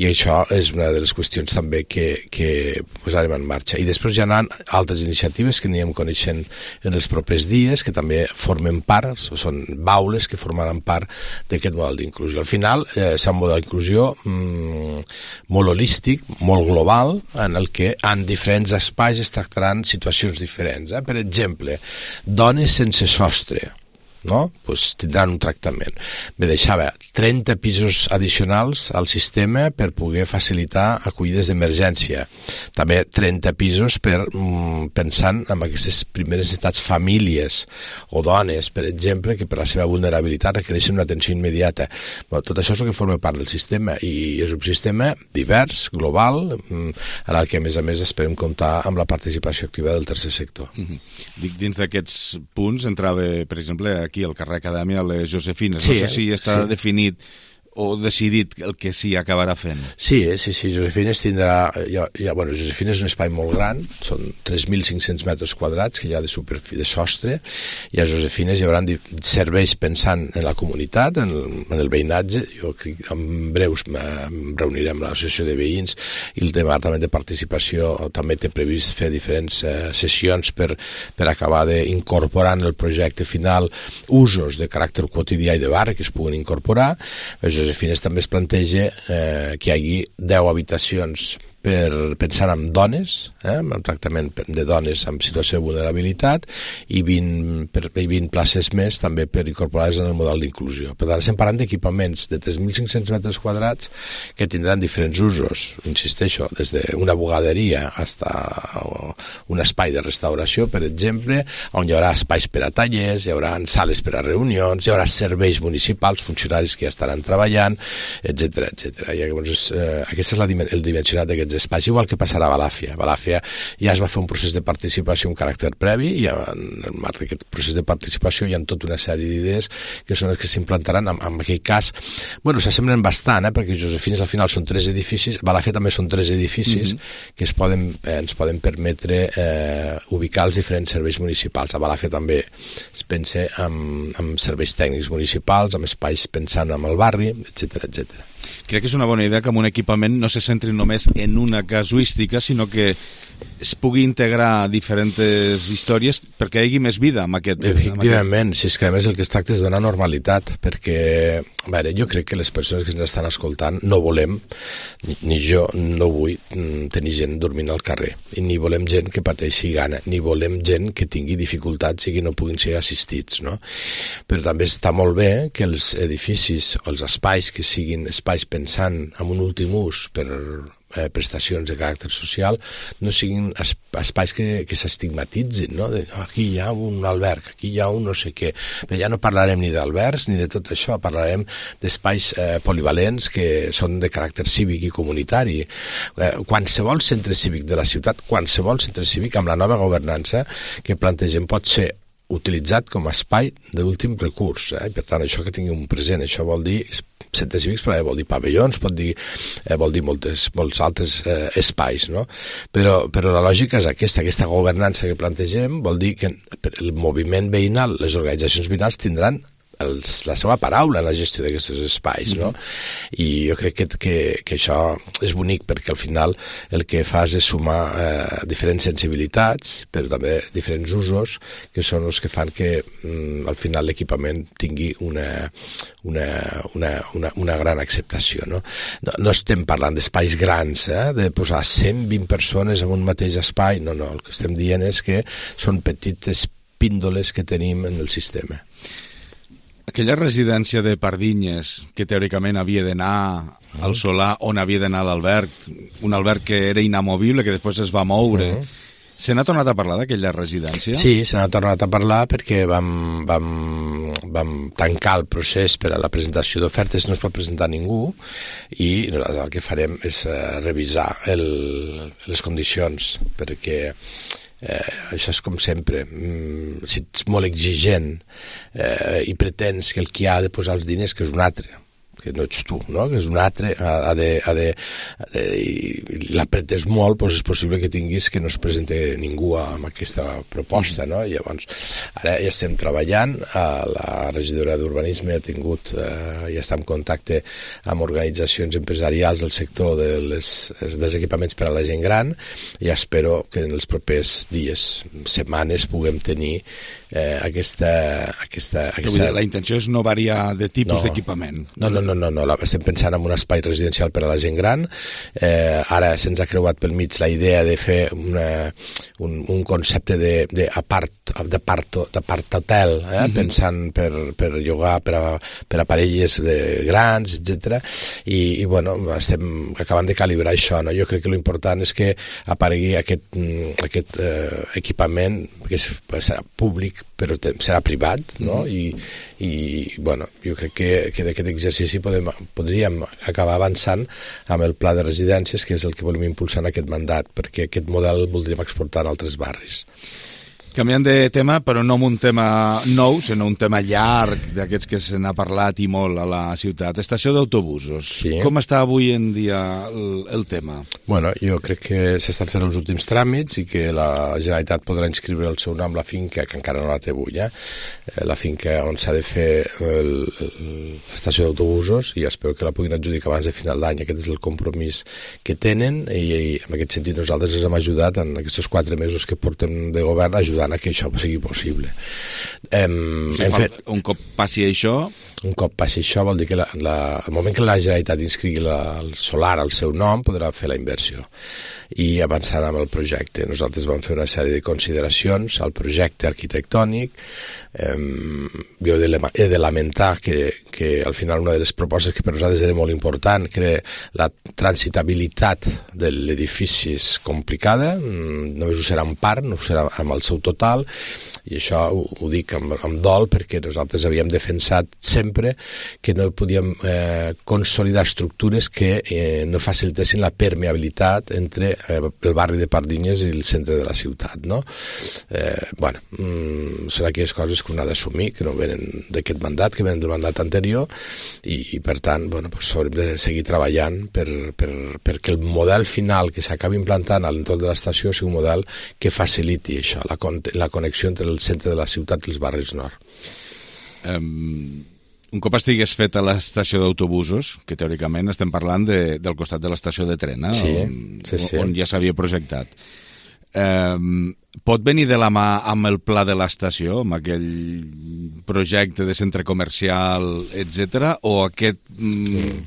Speaker 3: i això és una de les qüestions també que posarem en marxa. I després hi ha altres iniciatives que anirem coneixent en els propers dies, que també formen part, són baules que formaran part d'aquest model d'inclusió. Al final, serà un model d'inclusió molt holístic, molt global, en el que en diferents espais es tractaran situacions diferents. Per exemple, dones sense sostre, no? Pues tindran un tractament. Me deixava 30 pisos addicionals al sistema per poder facilitar acollides d'emergència. També 30 pisos pensant en aquestes primeres necessitats, famílies o dones, per exemple, que per la seva vulnerabilitat requereixen una atenció immediata. Tot això és el que forma part del sistema i és un sistema divers, global, en el que a més esperem comptar amb la participació activa del tercer sector.
Speaker 1: Dic, dins d'aquests punts entrava, per exemple, aquí al carrer Acadèmia, les Josefines.
Speaker 3: Sí,
Speaker 1: no sé si està definit o decidit el que s'hi acabarà fent.
Speaker 3: Sí, Josefines tindrà... Josefines és un espai molt gran, són 3.500 metres quadrats que hi ha de sostre, i a Josefines hi haurà serveis pensant en la comunitat, en el veïnatge. Jo crec que en breus em reuniré amb l'associació de veïns i el departament de participació també té previst fer diferents sessions per acabar d'incorporar en el projecte final usos de caràcter quotidià i de barri que es puguin incorporar. Josefines també es planteja que hi hagi 10 habitacions pensant en dones, en tractament de dones en situació de vulnerabilitat, i 20 places més també per incorporar-les en el model d'inclusió. Per tant, estem parlant d'equipaments de 3.500 metres quadrats que tindran diferents usos, insisteixo, des d'una bugaderia fins a un espai de restauració, per exemple, on hi haurà espais per a tallers, hi haurà sales per a reunions, hi haurà serveis municipals, funcionaris que ja estaran treballant, etc. I llavors, aquest és el dimensionat d'aquests espais, igual que passarà a Balàfia. Balàfia ja es va fer un procés de participació amb caràcter previ, i en el marc d'aquest procés de participació hi ha tota una sèrie d'idees que són les que s'implantaran. En aquell cas, s'assemblen bastant, perquè Josefines al final són 3 edificis, Balàfia també són 3 edificis que ens poden permetre ubicar els diferents serveis municipals. A Balàfia també es pensa en serveis tècnics municipals, amb espais pensant en el barri, etc.
Speaker 1: Crec que és una bona idea que amb un equipament no se centri només en una casuística, sinó que es pugui integrar diferents històries perquè hi hagi més vida amb aquest...
Speaker 3: Efectivament, si és que a més el que es tracta és de donar normalitat, perquè jo crec que les persones que ens estan escoltant no volem, ni jo no vull tenir gent dormint al carrer, i ni volem gent que pateixi gana, ni volem gent que tingui dificultats i que no puguin ser assistits, no? Però també està molt bé que els edificis o els espais que siguin espais pensant en un últim ús per prestacions de caràcter social no siguin espais que s'estigmatitzin, no? Aquí hi ha un alberg, aquí hi ha un no sé què, però ja no parlarem ni d'albergs ni de tot això, parlarem d'espais polivalents que són de caràcter cívic i comunitari. Qualsevol centre cívic de la ciutat, qualsevol centre cívic amb la nova governança que plantegem pot ser utilitzat com a espai d'últim recurs, per tant això que tingui un present, això vol dir centres cívics, vol dir pavellons, vol dir molts altres espais, no? Però la lògica és aquesta governança que plantegem vol dir que el moviment veïnal, les organitzacions veïnals tindran la seva paraula en la gestió d'aquests espais, no? I jo crec que això és bonic perquè al final el que fas és sumar diferents sensibilitats, però també diferents usos que són els que fan que al final l'equipament tingui una gran acceptació, no? No estem parlant d'espais grans, de posar 120 persones en un mateix espai, no, el que estem dient és que són petites píndoles que tenim en el sistema.
Speaker 1: Aquella residència de Pardinyes, que teòricament havia d'anar al Solà, on havia d'anar l'Alberg, un Alberg que era inamovible, que després es va moure... Se n'ha tornat a parlar d'aquella residència?
Speaker 3: Sí, se n'ha tornat a parlar perquè vam tancar el procés per a la presentació d'ofertes, no es va presentar ningú, i nosaltres el que farem és revisar les condicions, perquè això és com sempre, si ets molt exigent i pretens que el qui ha de posar els diners, que és un altre, que no ets tu, no? Que és un altre, i l'apretes molt, doncs és possible que tinguis que no es presenti ningú amb aquesta proposta, no? I llavors, ara ja estem treballant, la regidora d'Urbanisme ha tingut, ja està en contacte amb organitzacions empresarials del sector dels equipaments per a la gent gran, i espero que en els propers dies, setmanes, puguem tenir aquesta...
Speaker 1: La intenció és no variar de tipus d'equipament.
Speaker 3: No, estem pensant en un espai residencial per a la gent gran. Ara se'ns ha creuat pel mig la idea de fer un concepte d'apart-hotel, pensant per llogar per a parelles grans, etc. I bueno, estem acabant de calibrar això, no? Jo crec que l'important és que aparegui aquest equipament que serà públic però serà privat, no? I bueno, jo crec que d'aquest exercici podríem acabar avançant amb el pla de residències, que és el que volem impulsar en aquest mandat, perquè aquest model el voldríem exportar a altres barris.
Speaker 1: Canviant de tema, però no un tema nou, sinó un tema llarg, d'aquests que se n'ha parlat i molt a la ciutat. Estació d'autobusos. Sí. Com està avui en dia el tema?
Speaker 3: Bueno, jo crec que s'estan fent els últims tràmits i que la Generalitat podrà inscriure el seu nom a la finca, que encara no la té avui, la finca on s'ha de fer l'estació d'autobusos, i espero que la puguin adjudicar abans de final d'any. Aquest és el compromís que tenen, i en aquest sentit nosaltres els hem ajudat en aquests 4 mesos que portem de govern, ajudant a que això sigui possible.
Speaker 1: Un cop passi això...
Speaker 3: Un cop passi això vol dir que al moment que la Generalitat inscrigui el solar al seu nom podrà fer la inversió i avançar amb el projecte. Nosaltres vam fer una sèrie de consideracions al projecte arquitectònic. Jo he de lamentar que al final una de les propostes que per nosaltres era molt important, que era la transitabilitat de l'edifici, és complicada, només ho serà en part, no ho serà amb el seu total, i això ho dic amb dol perquè nosaltres havíem defensat sempre que no podíem consolidar estructures que no facilitessin la permeabilitat entre el barri de Pardinyes i el centre de la ciutat, no? Bueno, són aquelles coses que un ha d'assumir, que no venen d'aquest mandat, que venen del mandat anterior, i per tant, bueno, doncs haurem de seguir treballant perquè el model final que s'acabi implantant a l'entorn de l'estació sigui un model que faciliti això, la connexió entre el centre de la ciutat i els barris nord.
Speaker 1: Un cop estigués feta l'estació d'autobusos, que teòricament estem parlant del costat de l'estació de tren, on ja s'havia projectat, pot venir de la mà amb el pla de l'estació, amb aquell projecte de centre comercial, etc., o aquest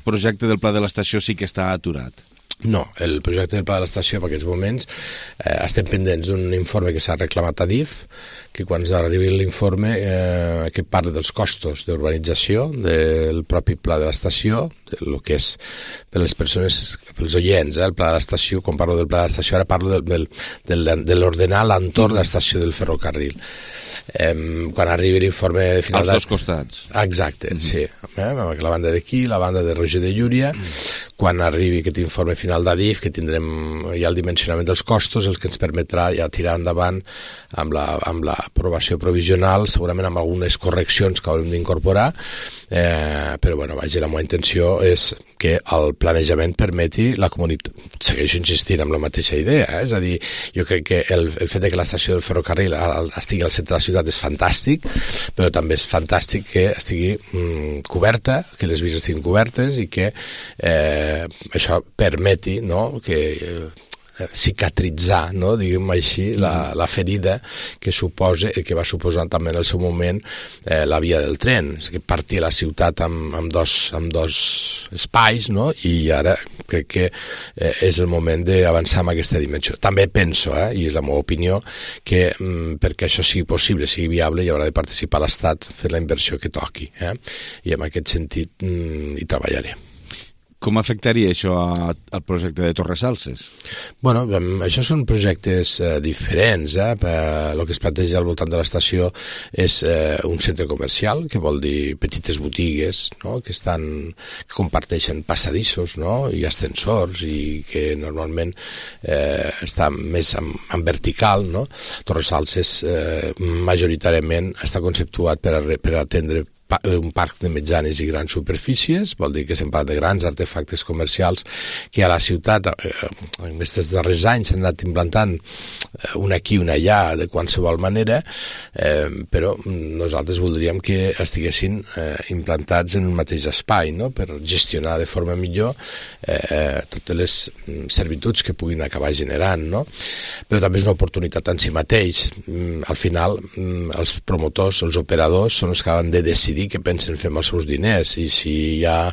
Speaker 1: projecte del pla de l'estació sí que està aturat?
Speaker 3: No, el projecte del pla de l'estació en aquests moments estem pendents d'un informe que s'ha reclamat a DIF, que quan arribi l'informe que parla dels costos d'urbanització del propi pla de l'estació, el que és per les persones, pels oients, el pla de l'estació, quan parlo del pla de l'estació ara parlo de l'ordenar l'entorn de l'estació del ferrocarril. Quan arribi l'informe de final
Speaker 1: als dos costats.
Speaker 3: Exacte, sí. La banda d'aquí, la banda de Roger de Llúria. Quan arribi aquest informe final d'Adif, que tindrem ja el dimensionament dels costos, el que ens permetrà ja tirar endavant amb l'aprovació provisional, segurament amb algunes correccions que haurem d'incorporar, però bueno, vaja, la meva intenció és que el planejament permeti la comunitat. Segueixo insistint amb la mateixa idea, és a dir, jo crec que el fet que l'estació del ferrocarril estigui al centre de la ciutat és fantàstic, però també és fantàstic que estigui coberta, que les vies estiguin cobertes i que això permeti, no?, que cicatritzar, no?, diguem així, la ferida que va suposar també en el seu moment la via del tren, que partia la ciutat amb dos espais, no?, i ara crec que és el moment d'avançar en aquesta dimensió. També penso, i és la meva opinió, que perquè això sigui possible, sigui viable, hi haurà de participar l'Estat fent la inversió que toqui, i en aquest sentit hi treballaré.
Speaker 1: Com afectaria això al projecte de Torresalses?
Speaker 3: Bueno, això són projectes diferents. El que es planteja al voltant de l'estació és un centre comercial, que vol dir petites botigues, no?, que comparteixen passadissos, no?, i ascensors, i que normalment està més en vertical, no? Torresalses majoritàriament està conceptuat per atendre un parc de mitjanes i grans superfícies, vol dir que s'han parlat de grans artefactes comercials que a la ciutat en aquests darrers anys s'han anat implantant un aquí, un allà, de qualsevol manera, però nosaltres voldríem que estiguessin implantats en un mateix espai, no?, per gestionar de forma millor totes les servituds que puguin acabar generant, no? Però també és una oportunitat en si mateix. Al final, els promotors, els operadors, són els que han de decidir què pensen fer amb els seus diners, i si hi ha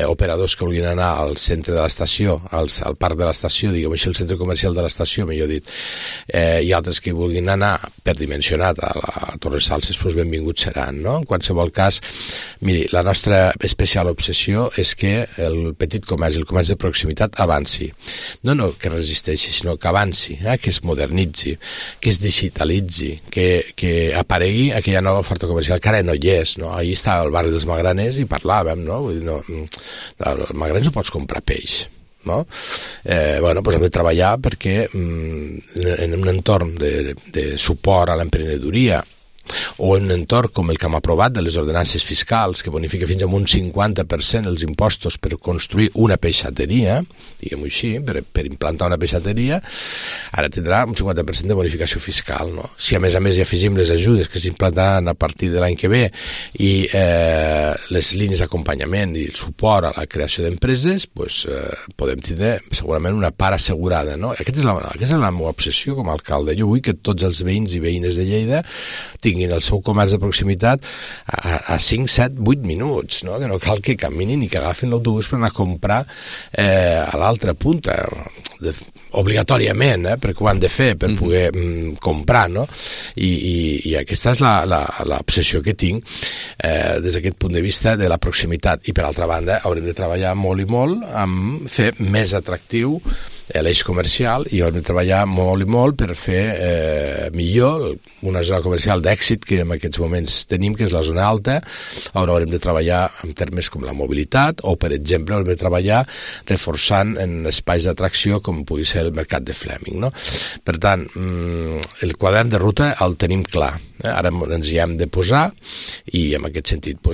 Speaker 3: operadors que vulguin anar al centre de l'estació, al parc de l'estació, diguem així, el centre comercial de l'estació, millor dit, i altres que vulguin anar per dimensionat a la Torresalses, doncs benvinguts seran, no? En qualsevol cas, miri, la nostra especial obsessió és que el petit comerç, el comerç de proximitat, avanci. No que resisteixi, sinó que avanci, que es modernitzi, que es digitalitzi, que aparegui aquella nova oferta comercial que ara no hi és, no? Ahir estava al barri dels Magraners i parlàvem, no? Vull dir, al Magraners no pots comprar peix, no? Bueno, doncs hem de treballar perquè en un entorn de suport a l'emprenedoria, o en un entorn com el que hem aprovat de les ordenances fiscals, que bonifica fins a un 50% els impostos per construir una peixateria, diguem-ho així, per implantar una peixateria, ara tindrà un 50% de bonificació fiscal, no? Si a més hi afegim les ajudes que s'implantaran a partir de l'any que ve i les línies d'acompanyament i el suport a la creació d'empreses, doncs podem tindre segurament una part assegurada, no? Aquesta és la meva obsessió com a alcalde. Jo vull que tots els veïns i veïnes de Lleida tinguin el seu comerç de proximitat a 5, 7, 8 minuts, no? Que no cal que caminin i que agafin l'autobús per anar a comprar a l'altra punta, obligatòriament, perquè ho han de fer per poder comprar, no? I aquesta és l'obsessió que tinc des d'aquest punt de vista de la proximitat. I per altra banda haurem de treballar molt i molt amb fer més atractiu l'eix comercial, i haurem de treballar molt i molt per fer millor una zona comercial d'èxit que en aquests moments tenim, que és la zona alta. Ara haurem de treballar en termes com la mobilitat, o per exemple haurem de treballar reforçant en espais d'atracció com pugui ser el mercat de Fleming, no? Per tant, el quadern de ruta el tenim clar, ara ens hi hem de posar, i en aquest sentit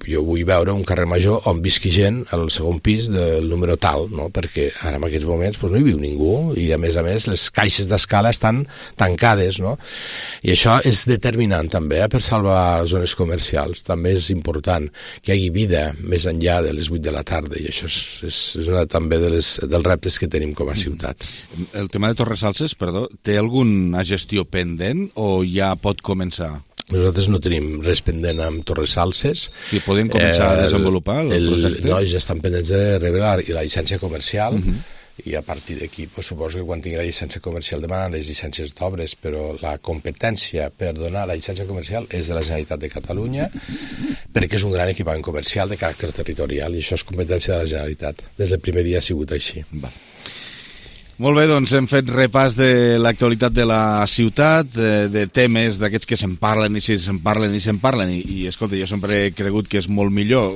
Speaker 3: jo vull veure un carrer Major on visqui gent al segon pis del número tal, no? Perquè ara en aquests moments no hi viu ningú, i a més les caixes d'escala estan tancades, no? I això és determinant també per salvar zones comercials. També és important que hi hagi vida més enllà de les 8 de la tarda, i això és una també dels reptes que tenim com a ciutat.
Speaker 1: El tema de Torresalses, perdó, té alguna gestió pendent o ja pot començar?
Speaker 3: Nosaltres no tenim res pendent amb Torresalses.
Speaker 1: O sigui, podem començar a desenvolupar el projecte?
Speaker 3: No, ja estan pendents de rebre la llicència comercial, i a partir d'aquí suposo que quan tingui la llicència comercial demanen les llicències d'obres, però la competència per donar la llicència comercial és de la Generalitat de Catalunya, perquè és un gran equipament comercial de caràcter territorial, i això és competència de la Generalitat. Des del primer dia ha sigut així.
Speaker 1: Molt bé, doncs hem fet repàs de l'actualitat de la ciutat, de temes d'aquests que se'n parlen i se'n parlen, i escolta, jo sempre he cregut que és molt millor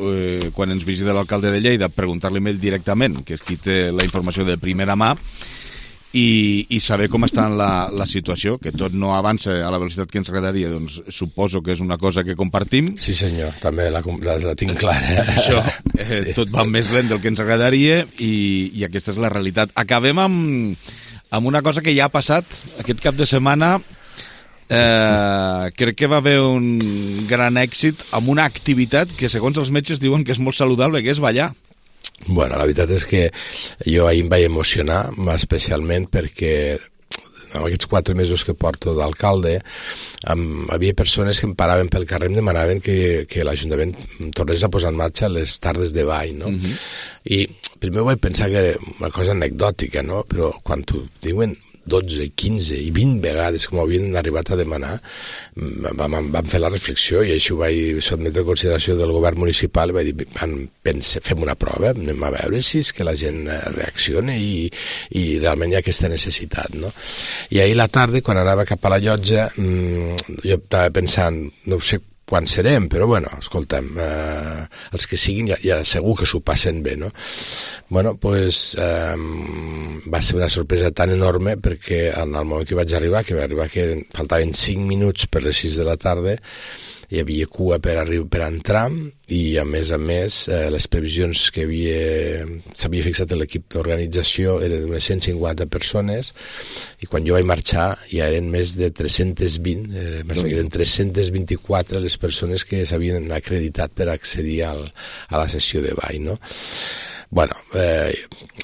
Speaker 1: quan ens visita l'alcalde de Lleida preguntar-li a ell directament, que és qui té la informació de primera mà, i saber com està la situació, que tot no avança a la velocitat que ens agradaria, doncs suposo que és una cosa que compartim.
Speaker 3: Sí senyor, també la tinc clara.
Speaker 1: Això, tot va més lent del que ens agradaria i aquesta és la realitat. Acabem amb una cosa que ja ha passat aquest cap de setmana. Crec que va haver un gran èxit amb una activitat que segons els metges diuen que és molt saludable, que és ballar.
Speaker 3: Bueno, la veritat és que jo ahir em vaig emocionar, especialment perquè en aquests 4 mesos que porto d'alcalde havia persones que em paraven pel carrer i em demanaven que l'Ajuntament tornés a posar en marxa les tardes de ball, no? I primer vaig pensar que era una cosa anecdòtica, no? Però quan t'ho diuen 12, 15 i 20 vegades com havien arribat a demanar, vam fer la reflexió i així ho vaig sotmetre a consideració del govern municipal i vaig dir, fem una prova, anem a veure si és que la gent reacciona i realment hi ha aquesta necessitat, no? I ahir a la tarda, quan anava cap a la llotja, jo estava pensant, no sé quan serem, però bueno, escolta'm, els que siguin ja segur que s'ho passen bé, no? Bueno, doncs va ser una sorpresa tan enorme perquè en el moment que vaig arribar, que faltaven 5 minuts per les 6 de la tarda, hi havia cua per entrar i a més les previsions que s'havia fixat l'equip d'organització eren d'unes 150 persones i quan jo vaig marxar ja eren més de 320, eren 324 les persones que s'havien acreditat per accedir a la sessió de ball, no? Bueno,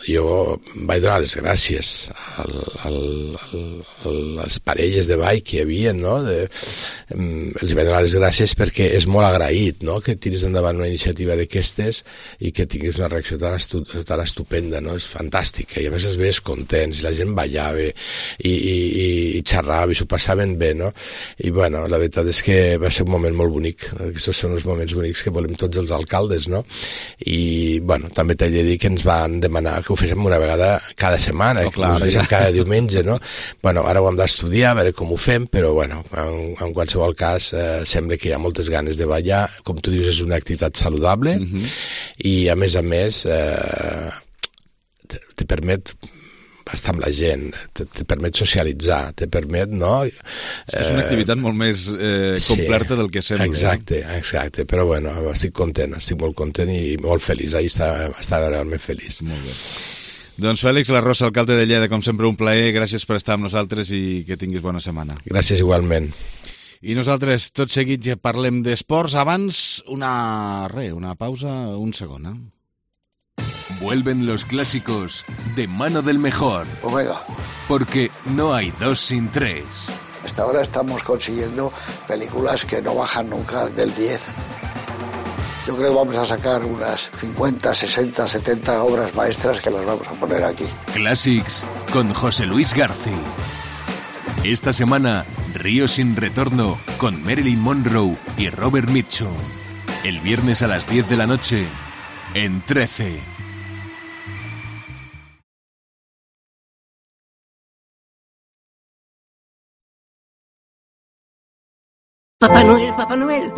Speaker 3: jo vaig donar les gràcies a les parelles de ball que hi havia, no? Els vaig donar les gràcies perquè és molt agraït, no? Que tiris endavant una iniciativa d'aquestes i que tinguis una reacció tan estupenda, no? És fantàstica, i a més els veies contents, i la gent ballava i xerrava i s'ho passaven bé, no? I bueno, la veritat és que va ser un moment molt bonic, aquests són els moments bonics que volem tots els alcaldes, no? I bueno, també t'he de dir que ens van demanar que ho féssim una vegada cada setmana, que ho féssim cada diumenge, no? Bueno, ara ho hem d'estudiar, a veure com ho fem, però bueno, en qualsevol cas sembla que hi ha moltes ganes de ballar, com tu dius és una activitat saludable i a més te permet estar amb la gent, te permet socialitzar, te permet, no?
Speaker 1: És una activitat molt més completa del que sembla.
Speaker 3: Exacte, però bueno, estic molt content i molt feliç, ahir estava realment feliç.
Speaker 1: Molt bé. Doncs Fèlix Larrosa, alcalde de Lleida, com sempre un plaer, gràcies per estar amb nosaltres i que tinguis bona setmana.
Speaker 3: Gràcies igualment.
Speaker 1: I nosaltres tot seguit ja parlem d'esports, abans una pausa, un segon,
Speaker 5: Vuelven los clásicos de mano del mejor.
Speaker 6: Omega.
Speaker 5: Porque no hay 2 sin 3.
Speaker 6: Hasta ahora estamos consiguiendo películas que no bajan nunca del 10. Yo creo que vamos a sacar unas 50, 60, 70 obras maestras que las vamos a poner aquí.
Speaker 5: Classics con José Luis García. Esta semana, Río sin retorno con Marilyn Monroe y Robert Mitchum. El viernes a las 10 de la noche en 13.
Speaker 7: Papá Noel.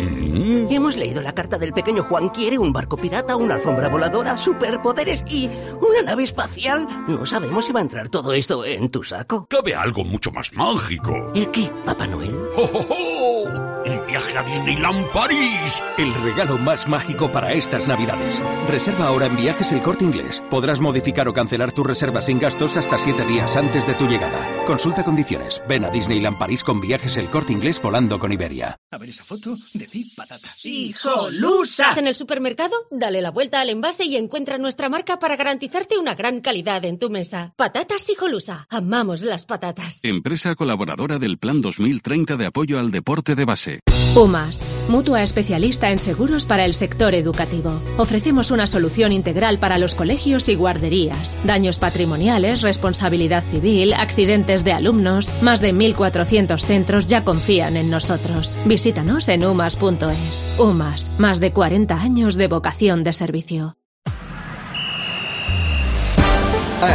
Speaker 7: Hemos leído la carta del pequeño Juan. Quiere un barco pirata, una alfombra voladora, superpoderes y una nave espacial. No sabemos si va a entrar todo esto en tu saco.
Speaker 8: Cabe algo mucho más mágico.
Speaker 7: ¿El qué, Papá Noel?
Speaker 8: ¡Oh, oh, oh! ¡Un viaje a Disneyland París!
Speaker 9: El regalo más mágico para estas Navidades. Reserva ahora en Viajes El Corte Inglés. Podrás modificar o cancelar tu reserva sin gastos hasta 7 días antes de tu llegada. Consulta condiciones. Ven a Disneyland París con Viajes El Corte Inglés volando con Iberia.
Speaker 26: A ver esa foto, decid patata.
Speaker 27: ¡Hijolusa! En el supermercado, dale la vuelta al envase y encuentra nuestra marca para garantizarte una gran calidad en tu mesa. Patatas Hijolusa. Amamos las patatas.
Speaker 9: Empresa colaboradora del Plan 2030 de apoyo al deporte de base.
Speaker 27: UMAS, mutua especialista en seguros para el sector educativo. Ofrecemos una solución integral para los colegios y guarderías. Daños patrimoniales, responsabilidad civil, accidentes de alumnos. Más de 1.400 centros ya confían en nosotros. Visítanos en umas.es. UMAS, más de 40 años de vocación de servicio.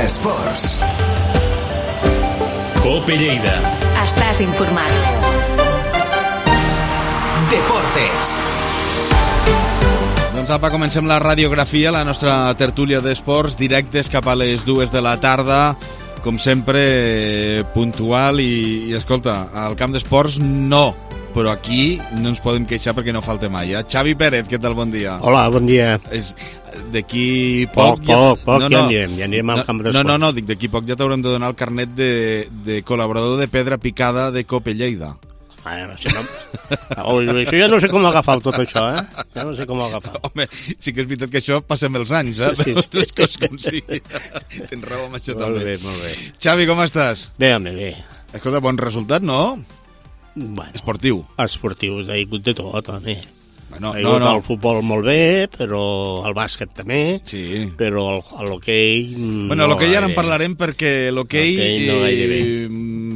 Speaker 28: Esports.
Speaker 29: Cope Lleida.
Speaker 4: Estàs informat.
Speaker 28: Deportes.
Speaker 1: Doncs apa, comencem la radiografia, la nostra tertúlia d'esports, directes cap a les 2 de la tarda. com sempre, puntual i escolta, al camp d'esports no, però aquí no ens podem queixar perquè no falta mai. Xavi Pérez, què tal? Bon dia.
Speaker 11: Hola, bon dia.
Speaker 1: D'aquí poc...
Speaker 11: Ja anirem al camp d'esports.
Speaker 1: No, dic, d'aquí poc ja t'haurem de donar el carnet de col·laborador de pedra picada de Cope Lleida.
Speaker 11: Això ja no sé com agafar tot això, Ja no sé com agafar.
Speaker 1: Home, sí que és veritat que això passem els anys,
Speaker 11: Sí.
Speaker 1: Les coses com sigui. Tens raó amb això també.
Speaker 11: Molt bé.
Speaker 1: Xavi, com estàs?
Speaker 11: Bé, home, bé.
Speaker 1: Escolta, bon resultat, no?
Speaker 11: Bueno,
Speaker 1: esportiu,
Speaker 11: ha hagut de tot, home.
Speaker 1: No.
Speaker 11: El futbol molt bé, però el bàsquet també, però l'hoquei...
Speaker 1: l'hoquei ara en parlarem perquè l'hoquei...
Speaker 11: no gairebé.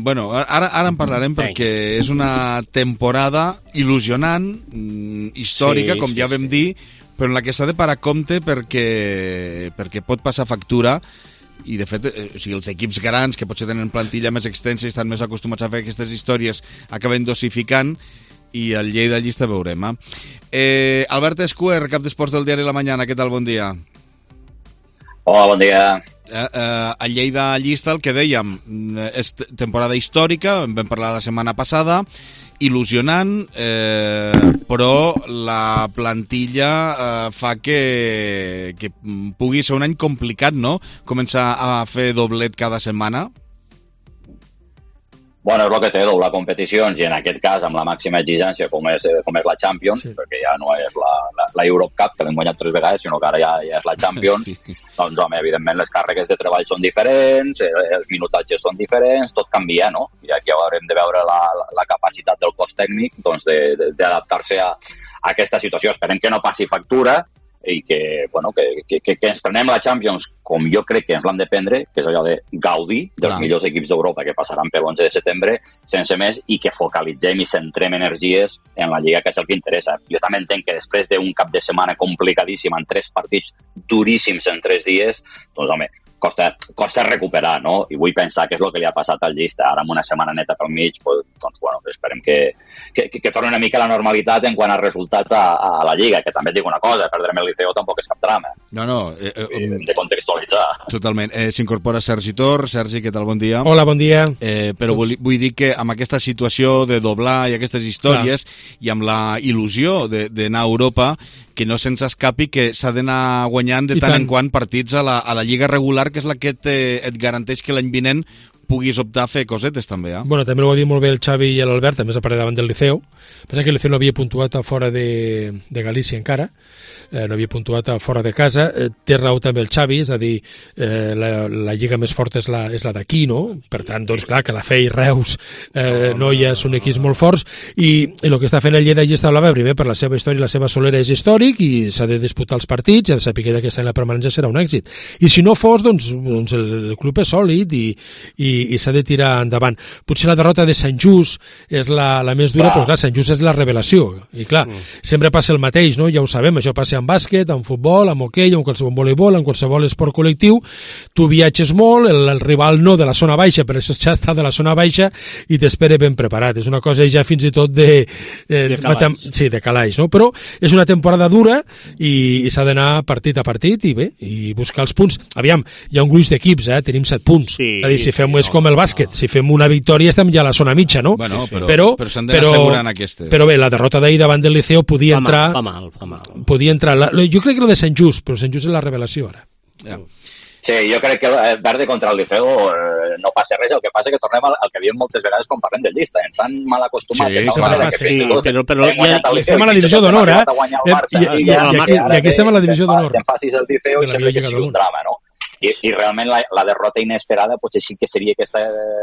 Speaker 1: Ara en parlarem perquè és una temporada il·lusionant, històrica, com ja vam dir, però en la que s'ha de parar compte perquè pot passar factura. I de fet, els equips grans que potser tenen plantilla més extensa i estan més acostumats a fer aquestes històries acaben dosificant i el Lleida llista veurem. Albert Escuer, cap d'esports del diari La Mañana, què tal? Bon dia.
Speaker 12: Hola, bon dia.
Speaker 1: A Lleida llista, el que dèiem, és temporada històrica, en vam parlar la setmana passada, il·lusionant, però la plantilla fa que pugui ser un any complicat, no? Començar a fer doblet cada setmana.
Speaker 12: Bueno, és el que té, doblar competicions, i en aquest cas amb la màxima exigència com és la Champions, perquè ja no és la Europe Cup, que l'hem guanyat 3 vegades, sinó que ara ja és la Champions, doncs, home, evidentment les càrregues de treball són diferents, els minutatges són diferents, tot canvia, no? I aquí haurem de veure la capacitat del cos tècnic doncs, d'adaptar-se a aquesta situació. Esperem que no passi factura, i que ens prenem la Champions com jo crec que ens l'han de prendre, que és allò de gaudir dels millors equips d'Europa que passaran per l'11 de setembre, sense més, i que focalitzem i centrem energies en la Lliga, que és el que interessa. Jo també entenc que després d'un cap de setmana complicadíssim, en 3 partits duríssims en 3 dies, doncs home, costa recuperar, no? I vull pensar que és el que li ha passat al Llista. Ara amb una setmana neta pel mig, doncs bueno, esperem que torni una mica a la normalitat en quant a resultats a la Lliga, que també et dic una cosa, perdrem el Liceo tampoc és cap drama.
Speaker 1: No.
Speaker 12: Hem de contextualitzar.
Speaker 1: Totalment. S'incorpora Sergi Tor. Sergi, què tal? Bon dia.
Speaker 13: Hola, bon dia.
Speaker 1: Però vull dir que amb aquesta situació de doblar i aquestes històries i amb la il·lusió d'anar a Europa, que no se'ns escapi que s'ha d'anar guanyant de tant en quant partits a la Lliga regular, que és la que et garanteix que l'any vinent puguis optar a fer cosetes també.
Speaker 13: Bueno, també ho va dir molt bé el Xavi i l'Albert, també s'ha parat davant del Liceu. Pensa que el Liceu no havia puntuat a fora de Galícia encara, no havia puntuat a fora de casa. Té raó també el Xavi, és a dir, la lliga més forta és la d'aquí, no? Per tant, doncs clar, que la Fe i Reus Noia són equips molt forts, i el que està fent el Lleida està hablava primer per la seva història, la seva solera és històric i s'ha de disputar els partits, i ha de saber que aquest any la permanència serà un èxit. I si no fos, doncs el club és sòlid i s'ha de tirar endavant. Potser la derrota de Sant Just és la més dura, però clar, Sant Just és la revelació, i clar, sempre passa el mateix, no? Ja ho sabem, això passa en bàsquet, en futbol, en hoquei, en qualsevol voleibol, en qualsevol esport col·lectiu. Tu viatges molt, el rival no de la zona baixa, però això ja està de la zona baixa i t'espera ben preparat. És una cosa ja fins i tot de calaix, no? Però és una temporada dura i s'ha d'anar partit a partit i bé, i buscar els punts. Aviam, hi ha un gruix d'equips, tenim 7 punts. És a dir, si fem és com el bàsquet, si fem una victòria estem ja a la zona mitja, no?
Speaker 1: Bueno, però s'han d'anar assegurant aquestes.
Speaker 13: Però bé, la derrota d'ahir davant del Liceo podia entrar...
Speaker 11: Fa mal.
Speaker 13: Podia entrar... Jo crec que lo de Sant Just, però Sant Just és la revelació ara.
Speaker 12: Sí, jo crec que Verde contra el Liceo no passa res, el que passa que tornem al que diem moltes vegades quan parlem del Llista, ens han mal acostumat
Speaker 13: però estem a la divisió d'honor, i aquí estem a la divisió d'honor.
Speaker 12: Te'n facis el Liceo i sempre que sigui un drama, no? I realment la derrota inesperada potser sí que seria aquesta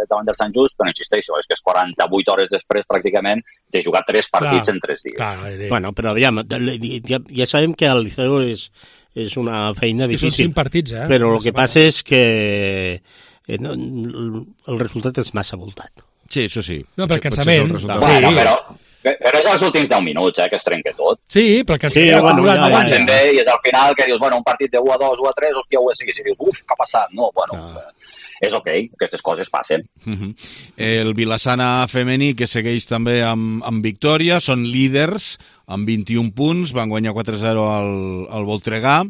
Speaker 12: davant del Sant Just, però insisteixo, és que és 48 hores després pràcticament de jugar 3 partits en 3 dies.
Speaker 11: Bueno, però aviam, ja sabem que el Liceo és una feina difícil.
Speaker 13: Són 5 partits,
Speaker 11: però el que passa és que el resultat és massa voltat.
Speaker 1: Sí, això sí.
Speaker 13: No, per cansament.
Speaker 12: Però és als últims 10 minuts, que es trenca tot.
Speaker 13: Sí, però el cansament
Speaker 12: aguanten bé, i és al final que dius, bueno, un partit de 1-2, 1-3, hòstia, 1-6, i dius, què ha passat? No, bueno, és ok, aquestes coses passen.
Speaker 1: El Vilassana femení, que segueix també amb victòria, són líders amb 21 punts, van guanyar 4-0 al Voltregà,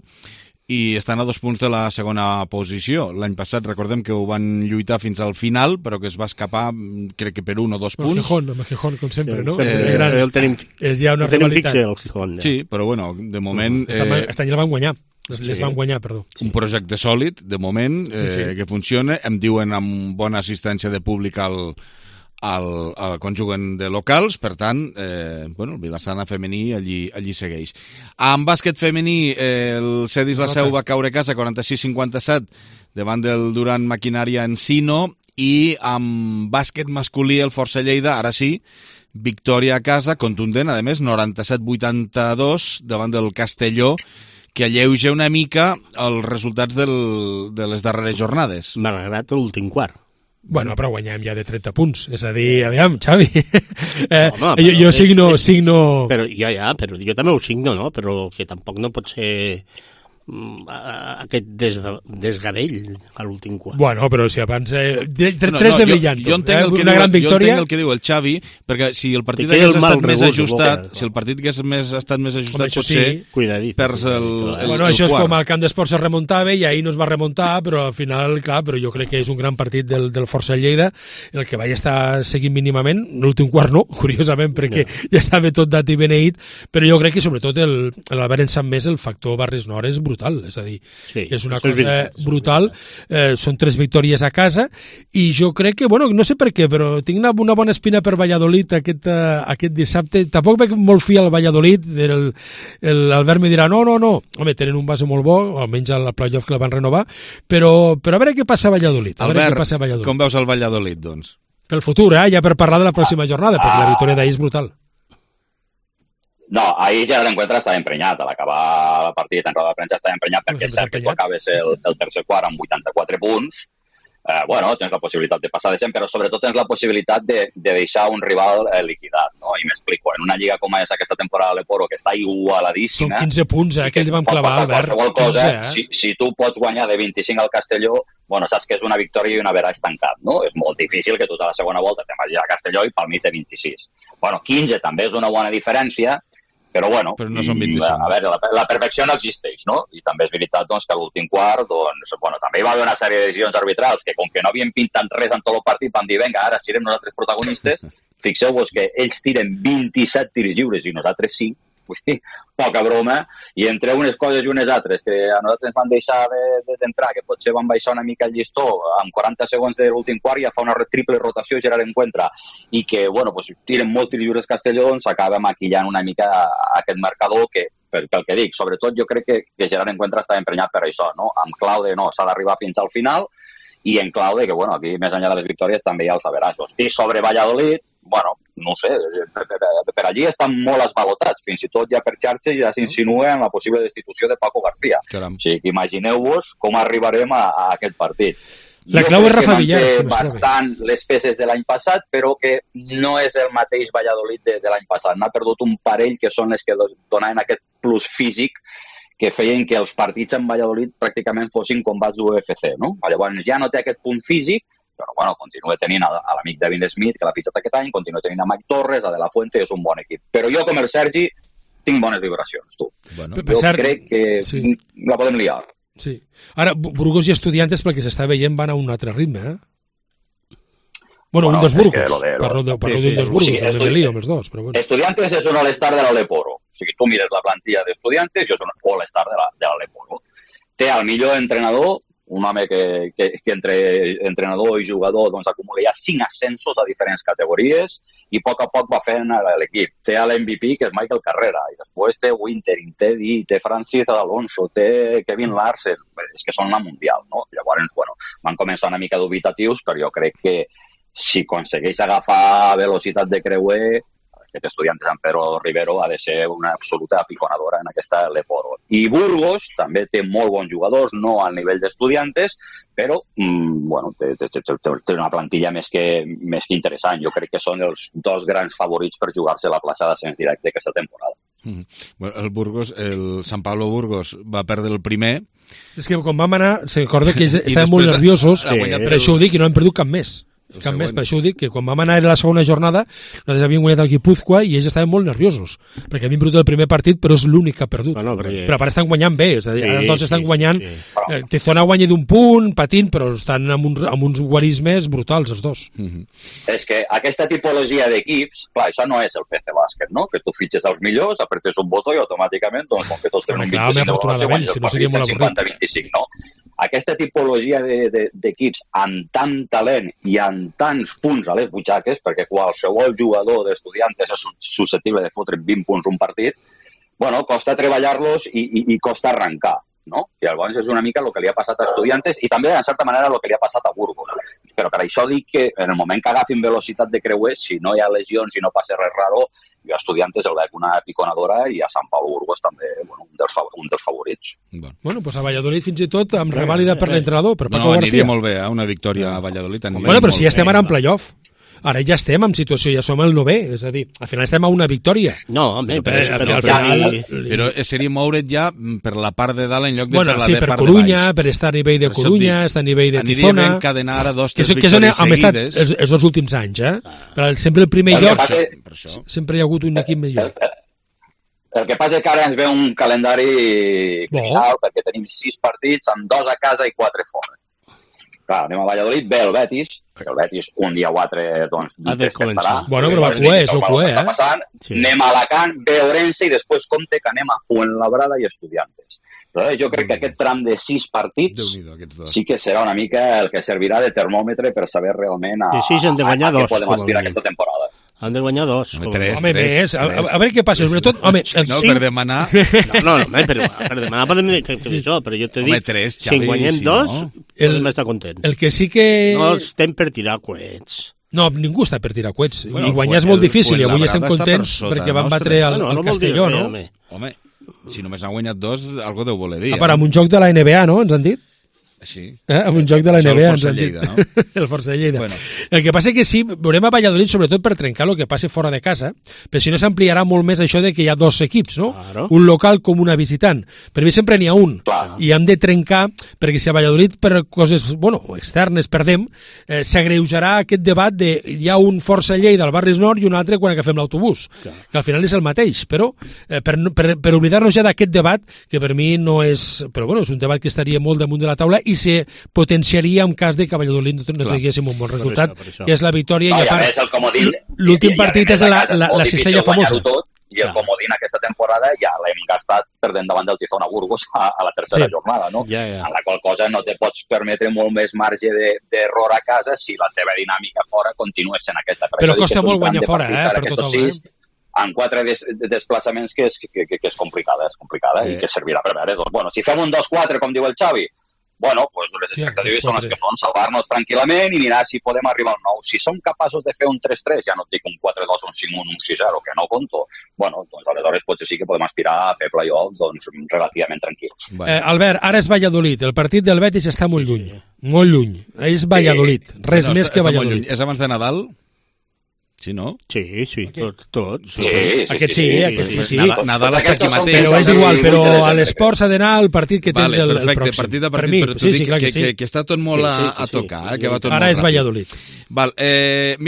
Speaker 1: i estan a 2 punts de la segona posició. L'any passat recordem que ho van lluitar fins al final, però que es va escapar, crec que per 1 o 2 punts.
Speaker 13: Amb el Gijón, com sempre, no?
Speaker 11: És
Speaker 13: ja una rivalitat.
Speaker 11: Fixe, el Gijón.
Speaker 1: Sí, però bueno, de moment...
Speaker 13: Aquest any el van guanyar. Les van guanyar, perdó.
Speaker 1: Un projecte sòlid, de moment, que funciona. Em diuen amb bona assistència de públic quan juguen de locals, per tant, el Vilassana femení allí segueix. En bàsquet femení, el Cedis la Seu va caure a casa 46-57 davant del Duran Maquinària Encino, i amb bàsquet masculí el Força Lleida, ara sí, victòria a casa, contundent, a més, 97-82 davant del Castelló, que alleuja una mica els resultats de les darreres jornades.
Speaker 11: M'ha agradat l'últim quart.
Speaker 13: Bueno, però guanyem ja de 30 punts. És a dir, aviam, Xavi, jo signo...
Speaker 11: Però jo també ho signo, no? Però que tampoc no pot ser aquest desgavell a l'últim quart.
Speaker 13: Bueno, però si abans... 3 de brillant.
Speaker 1: Jo entenc el que diu el Xavi, perquè si el partit hagués estat més ajustat, potser perds el
Speaker 13: Bueno, això és com al camp d'esports es remuntava i ahir no es va remuntar, però al final, clar, però jo crec que és un gran partit del Força Lleida, el que vaig estar seguint mínimament, l'últim quart no, curiosament, perquè ja estava tot dat i beneït, però jo crec que sobretot l'Albert en sap més, el factor Barris Nord és brutal, és a dir, és una cosa brutal, són 3 victòries a casa, i jo crec que, bueno, no sé per què, però tinc una bona espina per Valladolid aquest dissabte. Tampoc veig molt fi al Valladolid, l'Albert me dirà, no, home, tenen un base molt bo, almenys al playoff que la van renovar, però a veure què passa a Valladolid.
Speaker 1: Albert, com veus el Valladolid, doncs?
Speaker 13: Pel futur, ja per parlar de la pròxima jornada, perquè la victòria d'ahir és brutal.
Speaker 12: No, ahir ja l'encuentre estava emprenyat. A l'acabar el partit en roda de premsa estava emprenyat perquè és cert que tu acabes el tercer quart amb 84 punts. Tens la possibilitat de passar de 100, però sobretot tens la possibilitat de deixar un rival liquidat, no? I m'explico, en una lliga com és aquesta temporada de l'Eporo, que està igualadíssima...
Speaker 13: Són 15 punts, que ells van clavar, Albert.
Speaker 12: Si tu pots guanyar de 25 al Castelló, saps que és una victòria i un average tancat, no? És molt difícil que tu a la segona volta te vagis a Castelló i pel mig de 26. 15 també és una bona diferència, però
Speaker 1: no són 25.
Speaker 12: A veure, la perfecció no existeix, no? I també és veritat que a l'últim quart, també hi va haver una sèrie de decisions arbitrals que, com que no havien pintat res en tot el partit, van dir, vinga, ara serem nosaltres protagonistes. Fixeu-vos que ells tiren 27 tirs lliures i nosaltres 5. Vull dir, poca broma, i entre unes coses i unes altres que a nosaltres ens van deixar d'entrar, que potser van baixar una mica el llistó, amb 40 segons de l'últim quart ja fa una triple rotació Gerard Encuentra, i que, tiren molt tirs lliures Castelló, s'acaba maquillant una mica aquest marcador que, pel que dic, sobretot jo crec que Gerard Encuentra està emprenyat per això, no? Amb clau de s'ha d'arribar fins al final, i en clau de que, aquí més enllà de les victòries també hi ha els averajos. I sobre Valladolid, no sé, per allí estan molt esvalotats, fins i tot ja per xarxes ja s'insinua en la possible destitució de Paco García. O sigui que imagineu-vos com arribarem a aquest partit.
Speaker 13: La clau és Rafa Villar.
Speaker 12: Jo crec que manté bastant les peces de l'any passat, però que no és el mateix Valladolid de l'any passat. N'ha perdut un parell que són les que donaven aquest plus físic que feien que els partits en Valladolid pràcticament fossin combats d'UFC, no? Llavors ja no té aquest punt físic, però continua tenint a l'amic David Smith, que l'ha fitxat aquest any, continua tenint a Mike Torres, a De La Fuente, és un bon equip. Però jo, com el Sergi, tinc bones vibracions, tu. Jo crec que la podem liar.
Speaker 13: Sí. Ara, Burgos i Estudiantes, pel que s'està veient, van a un altre ritme, un dels Burgos. Parlo d'un dels Burgos, també me lío amb els dos.
Speaker 12: Estudiantes és un all-star de l'Aleporo. O sigui, tu mires la plantilla d'Estudiantes i és un all-star de l'Aleporo. Té el millor entrenador, un home que entre entrenador i jugador acumula ja 5 ascensos a diferents categories i a poc va fent l'equip. Té l'MVP, que és Michael Carrera, i després té Wintering, té Di, té Francis Alonso, té Kevin Larsen, és que són la mundial, no? Llavors, van començar una mica dubitatius, però jo crec que si aconsegueix agafar velocitat de creuer, aquest Estudiantes amb Pedro Rivero ha de ser una absoluta piconadora en aquesta Leporo. I Burgos també té molt bons jugadors, no al nivell d'Estudiantes, però té una plantilla més que interessant. Jo crec que són els dos grans favorits per jugar-se la plaça d'ascens directe aquesta temporada.
Speaker 1: El Burgos, el San Pablo Burgos va perdre el primer.
Speaker 13: És que quan vam anar, se recorda que ells estaven molt nerviosos, per això ho dic, i no han perdut cap més. Cap més, per això ho dic, que quan vam anar a la segona jornada nosaltres havíem guanyat el Guipúzcoa i ells estaven molt nerviosos, perquè havien perdut el primer partit però és l'únic que ha perdut. Però a part estan guanyant bé, és a dir, els dos estan guanyant. Tizona guanya d'un punt, patint, però estan amb uns guarismes brutals, els dos.
Speaker 12: És que aquesta tipologia d'equips, clar, això no és el PC Bàsquet, no? Que tu fitxes els millors, apretes un botó i automàticament, doncs, com que tots tenen un 25,
Speaker 13: si no seria molt avorrit.
Speaker 12: 50-25, no? Aquesta tipologia d'equips amb tant talent i amb tants punts a les butxaques, perquè qualsevol jugador d'Estudiantes és susceptible de fotre 20 punts un partit, bueno, costa treballar-los i costa arrencar, no? I llavors és una mica el que li ha passat a Estudiantes i també, en certa manera, el que li ha passat a Burgos. Però per això dic que en el moment que agafin velocitat de creuers, si no hi ha lesions i no passa res raro, jo a Estudiantes el veig una piconadora i a Sant Pau Burgos també un dels favorits.
Speaker 13: Bueno, doncs a Valladolid fins i tot amb revàlida per l'entrenador, per Paco García.
Speaker 1: Aniria molt bé, una victòria a Valladolid.
Speaker 13: Bueno, però si ja estem ara en playoff. Ara ja estem en situació, ja som el 9è, és a dir, al final estem a una victòria.
Speaker 11: No, home, però
Speaker 1: al final... Però seria moure't ja per la part de dalt en lloc de per la de part de baix.
Speaker 13: Per Corunya, per estar a nivell de Corunya, estar a nivell de Tizona...
Speaker 1: Aniria ben encadenar ara 2-3 victòries seguides.
Speaker 13: És els últims anys, Però sempre el primer lloc, sempre hi ha hagut un equip millor.
Speaker 12: El que passa és que ara ens ve un calendari criminal, perquè tenim 6 partits, amb 2 a casa i 4 fora. Clar, anem a Valladolid, ve el Betis, perquè el Betis un dia o altre, doncs,
Speaker 13: bueno, però va cué, és el cué,
Speaker 12: Anem a Alacant, ve Orense i després compte que anem a Fuenlabrada i Estudiantes. Però jo crec que aquest tram de 6 partits sí que serà una mica el que servirà de termòmetre per saber realment a què podem aspirar aquesta temporada.
Speaker 11: Han de guanyar 2.
Speaker 13: Home, més. A veure què passa. Sobretot, home,
Speaker 1: no, per demanar...
Speaker 11: No, per demanar podem dir que això, però jo te dic, si en guanyem 2, podem estar contents.
Speaker 13: El que sí que...
Speaker 11: No estem per tirar coets.
Speaker 13: No, ningú està per tirar coets. I guanyar és molt difícil, i avui estem contents perquè van batre el Castelló, no?
Speaker 1: Home, si només han guanyat 2, algo deu voler dir.
Speaker 13: A part, amb un joc de la NBA, no?, ens han dit?
Speaker 1: Sí.
Speaker 13: Amb un joc de la NBA
Speaker 1: ens han dit. No?
Speaker 13: El Força Lleida. Bueno. El que passa que sí, veurem a Valladolid sobretot per trencar el que passi fora de casa, però si no s'ampliarà molt més això de que hi ha 2 equips, no? Claro. Un local com una visitant. Per mi sempre n'hi ha un. Claro. I hem de trencar, perquè si a Valladolid per coses, externes perdem, s'agreujarà aquest debat de hi ha un Força Lleida al Barris Nord i un altre quan agafem l'autobús. Claro. Que al final és el mateix, però per oblidar-nos ja d'aquest debat, que per mi no és... Però és un debat que estaria molt damunt de la taula i se potenciaria en cas de que a Valladolid no tinguéssim un bon resultat, que és la victòria, i a part l'últim partit és la cistella famosa.
Speaker 12: I el comodín aquesta temporada ja l'hem gastat perdent davant del Tizona Burgos a la tercera jornada, no? En la qual cosa no te pots permetre molt més marge d'error a casa si la teva dinàmica fora continua sent aquesta.
Speaker 13: Però costa molt guanyar fora, per tothom,
Speaker 12: en 4 desplaçaments que és complicada i que servirà per veure. Doncs, si fem un 2-4, com diu el Xavi, pues les expectatives són les que són, salvar-nos tranquil·lament i mirar si podem arribar al 9. Si som capaços de fer un 3-3, ja no et dic un 4-2, un 5-1, un 6-0, que no conto, doncs aleshores potser sí que podem aspirar a fer play-off relativament tranquils.
Speaker 13: Albert, ara és Valladolid, el partit del Betis està molt lluny, molt lluny. És Valladolid, res més que Valladolid.
Speaker 1: És abans de Nadal? Sí, no?
Speaker 11: Sí, tots.
Speaker 13: Aquest sí.
Speaker 1: Nadal està aquí mateix.
Speaker 13: Però és igual, però a l'Esports s'ha d'anar al partit que tens el pròxim.
Speaker 1: Perfecte, partit a partit, però tu dic que està tot molt a tocar, que va tot molt ràpid.
Speaker 13: Ara és Valladolid.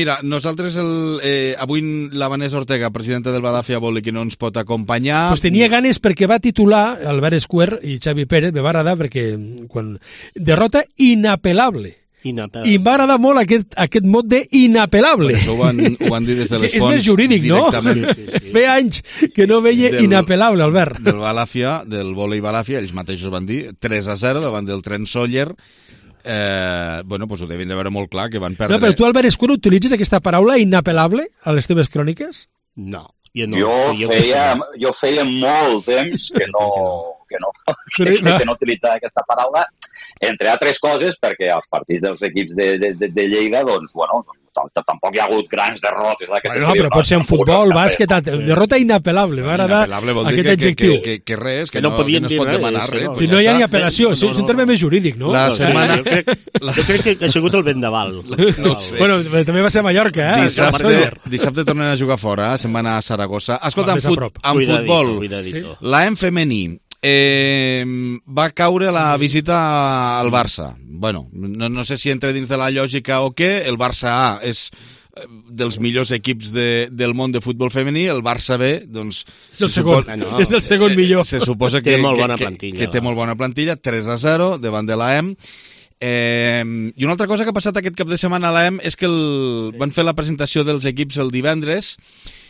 Speaker 1: Mira, nosaltres avui la Vanessa Ortega, presidenta del Balàfia Volley, que no ens pot acompanyar...
Speaker 13: Pues tenia ganes perquè va titular Albert Square i Xavi Pérez, me va agradar perquè derrota inapel·lable. I m'ha agradat molt aquest mot d'inapel·lable.
Speaker 1: Això ho van dir des de les fonts.
Speaker 13: És més jurídic, no? Feia anys que no veia inapel·lable, Albert.
Speaker 1: Del Balàfia, del vòlei Balàfia, ells mateixos van dir 3-0 davant del Trent Sóller. Pues ho devien de veure molt clar, que van perdre...
Speaker 13: No, però tu, Albert Escuro, utilitzes aquesta paraula inapel·lable a les teves cròniques?
Speaker 11: No.
Speaker 12: Jo feia molt temps que no utilitzava aquesta paraula, entre altres coses perquè als partits dels equips de Lleida tampoc hi ha hagut grans derrotes.
Speaker 13: Però pot ser en futbol, bàsquet, derrota inapel·lable.
Speaker 1: Inapel·lable vol dir que res, que no es pot demanar res.
Speaker 13: Si no hi ha ni apel·lació, és un terme més jurídic, no?
Speaker 11: Jo crec que ha sigut el vendaval.
Speaker 13: Bueno, també va ser a Mallorca,
Speaker 1: Dissabte tornen a jugar fora, se'n van a Saragossa. Escolta, en futbol, l'AM femení va caure la visita al Barça. Bueno, no sé si entra dins de la lògica o què. El Barça A és dels millors equips del món de futbol femení, el Barça B, doncs...
Speaker 13: És el segon millor.
Speaker 1: Se suposa que té molt bona plantilla, 3-0 davant de l'AEM. I una altra cosa que ha passat aquest cap de setmana a l'AEM és que van fer la presentació dels equips el divendres,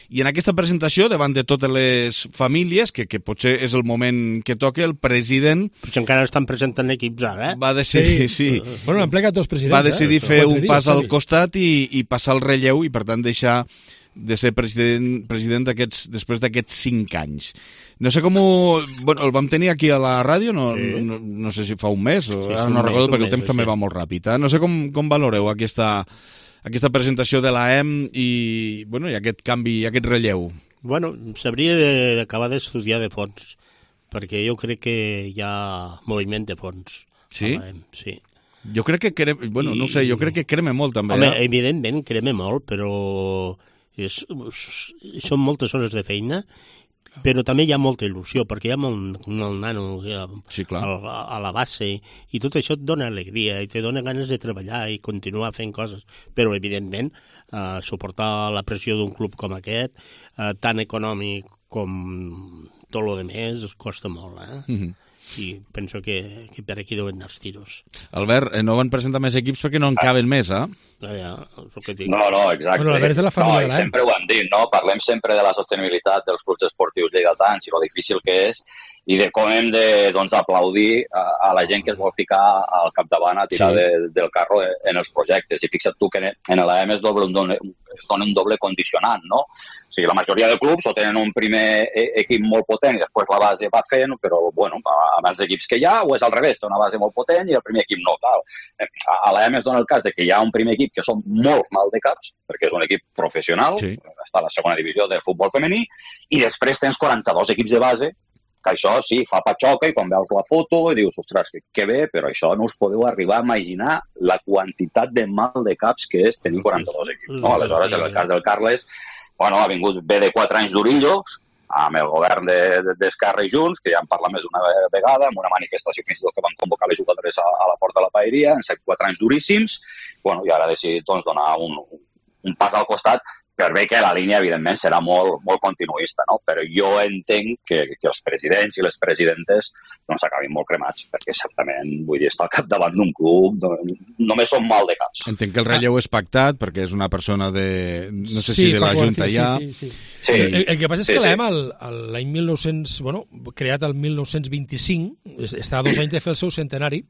Speaker 1: i en aquesta presentació, davant de totes les famílies, que potser és el moment que toca, el president...
Speaker 11: Potser encara estan presentant equips ara,
Speaker 1: Va decidir, sí.
Speaker 13: Bueno, han plegat dos presidents.
Speaker 1: Va decidir fer un pas al costat i passar el relleu i, per tant, deixar de ser president després d'aquests 5 anys. No sé com el vam tenir aquí a la ràdio, no sé si fa un mes, ara no recordo perquè el temps també va molt ràpid. No sé com valoreu aquesta presentació de l'AEM i aquest canvi, aquest relleu.
Speaker 11: Bueno, s'hauria d'acabar d'estudiar de fons, perquè jo crec que hi ha moviment de fons.
Speaker 1: Sí?
Speaker 11: Sí.
Speaker 1: Jo crec que jo crec que crema molt també.
Speaker 11: Home, evidentment crema molt, però són moltes hores de feina, però també hi ha molta il·lusió, perquè hi ha molt nano a la base, i tot això et dona alegria, i te dona ganes de treballar i continuar fent coses. Però, evidentment, suportar la pressió d'un club com aquest, tan econòmic com tot el més, costa molt, i penso que per aquí deuen anar els tiros.
Speaker 1: Albert, no van presentar més equips perquè no en caben més,
Speaker 12: No, exacte.
Speaker 13: Bueno, l'Albert és de la família de l'AEM.
Speaker 12: Sempre ho han dit, no? Parlem sempre de la sostenibilitat dels clubs esportius lleidatans i lo difícil que és, i de com hem d'aplaudir a la gent que es vol ficar al capdavant a tirar del carro en els projectes. I fixa't tu que en l'AEM es dona un doble condicionant, no? O sigui, la majoria de clubs o tenen un primer equip molt potent i després la base va fent, però, abans d'equips que hi ha, o és al revés, té una base molt potent i el primer equip no. A l'AEM es dona el cas de que hi ha un primer equip que són molt maldecaps, perquè és un equip professional, està a la segona divisió del futbol femení, i després tens 42 equips de base, que això sí, fa patxoca, i quan veus la foto i dius, ostres, que bé, però això no us podeu arribar a imaginar la quantitat de maldecaps que és tenir 42 equips. No? Aleshores, en el cas del Carles, ha vingut bé de 4 anys d'Orillos, amb el govern d'Esquerra i Junts, que ja en parla més d'una vegada, amb una manifestació fins i tot que van convocar les jugadores a la Porta de la Paeria, en 4 anys duríssims, i ara ha decidit donar un pas al costat, per bé que la línia, evidentment, serà molt continuista, no? Però jo entenc que els presidents i les presidentes s'acabin molt cremats, perquè certament, vull dir, estar al capdavant d'un club només són mal de caps.
Speaker 1: Entenc que el relleu és pactat, perquè és una persona no sé si de la Junta ja...
Speaker 13: Sí. El que passa és que l'AEM, l'any 1900, creat el 1925, està a 2 anys de fer el seu centenari,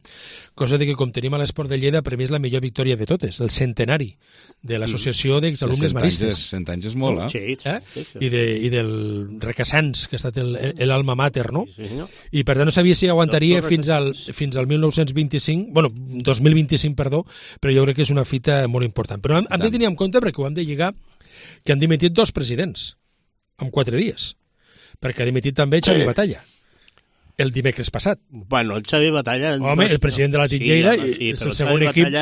Speaker 13: cosa de que, com tenim a l'Esport de Lleida, per mi és la millor victòria de totes, el centenari de l'Associació d'Exalumnes Maristes.
Speaker 1: 100 anys és molt,
Speaker 11: Sí.
Speaker 13: I del Requesans, que ha estat l'alma mater, no? I per tant no sabia si aguantaria fins al 1925, 2025, perdó, però jo crec que és una fita molt important. Però hem de tenir en compte, perquè ho hem de lligar, que han dimitit 2 presidents en 4 dies, perquè ha dimitit també Xavi Batalla el dimecres passat.
Speaker 11: El Xavi Batalla...
Speaker 13: Home, el president de la Lleida és el segon equip...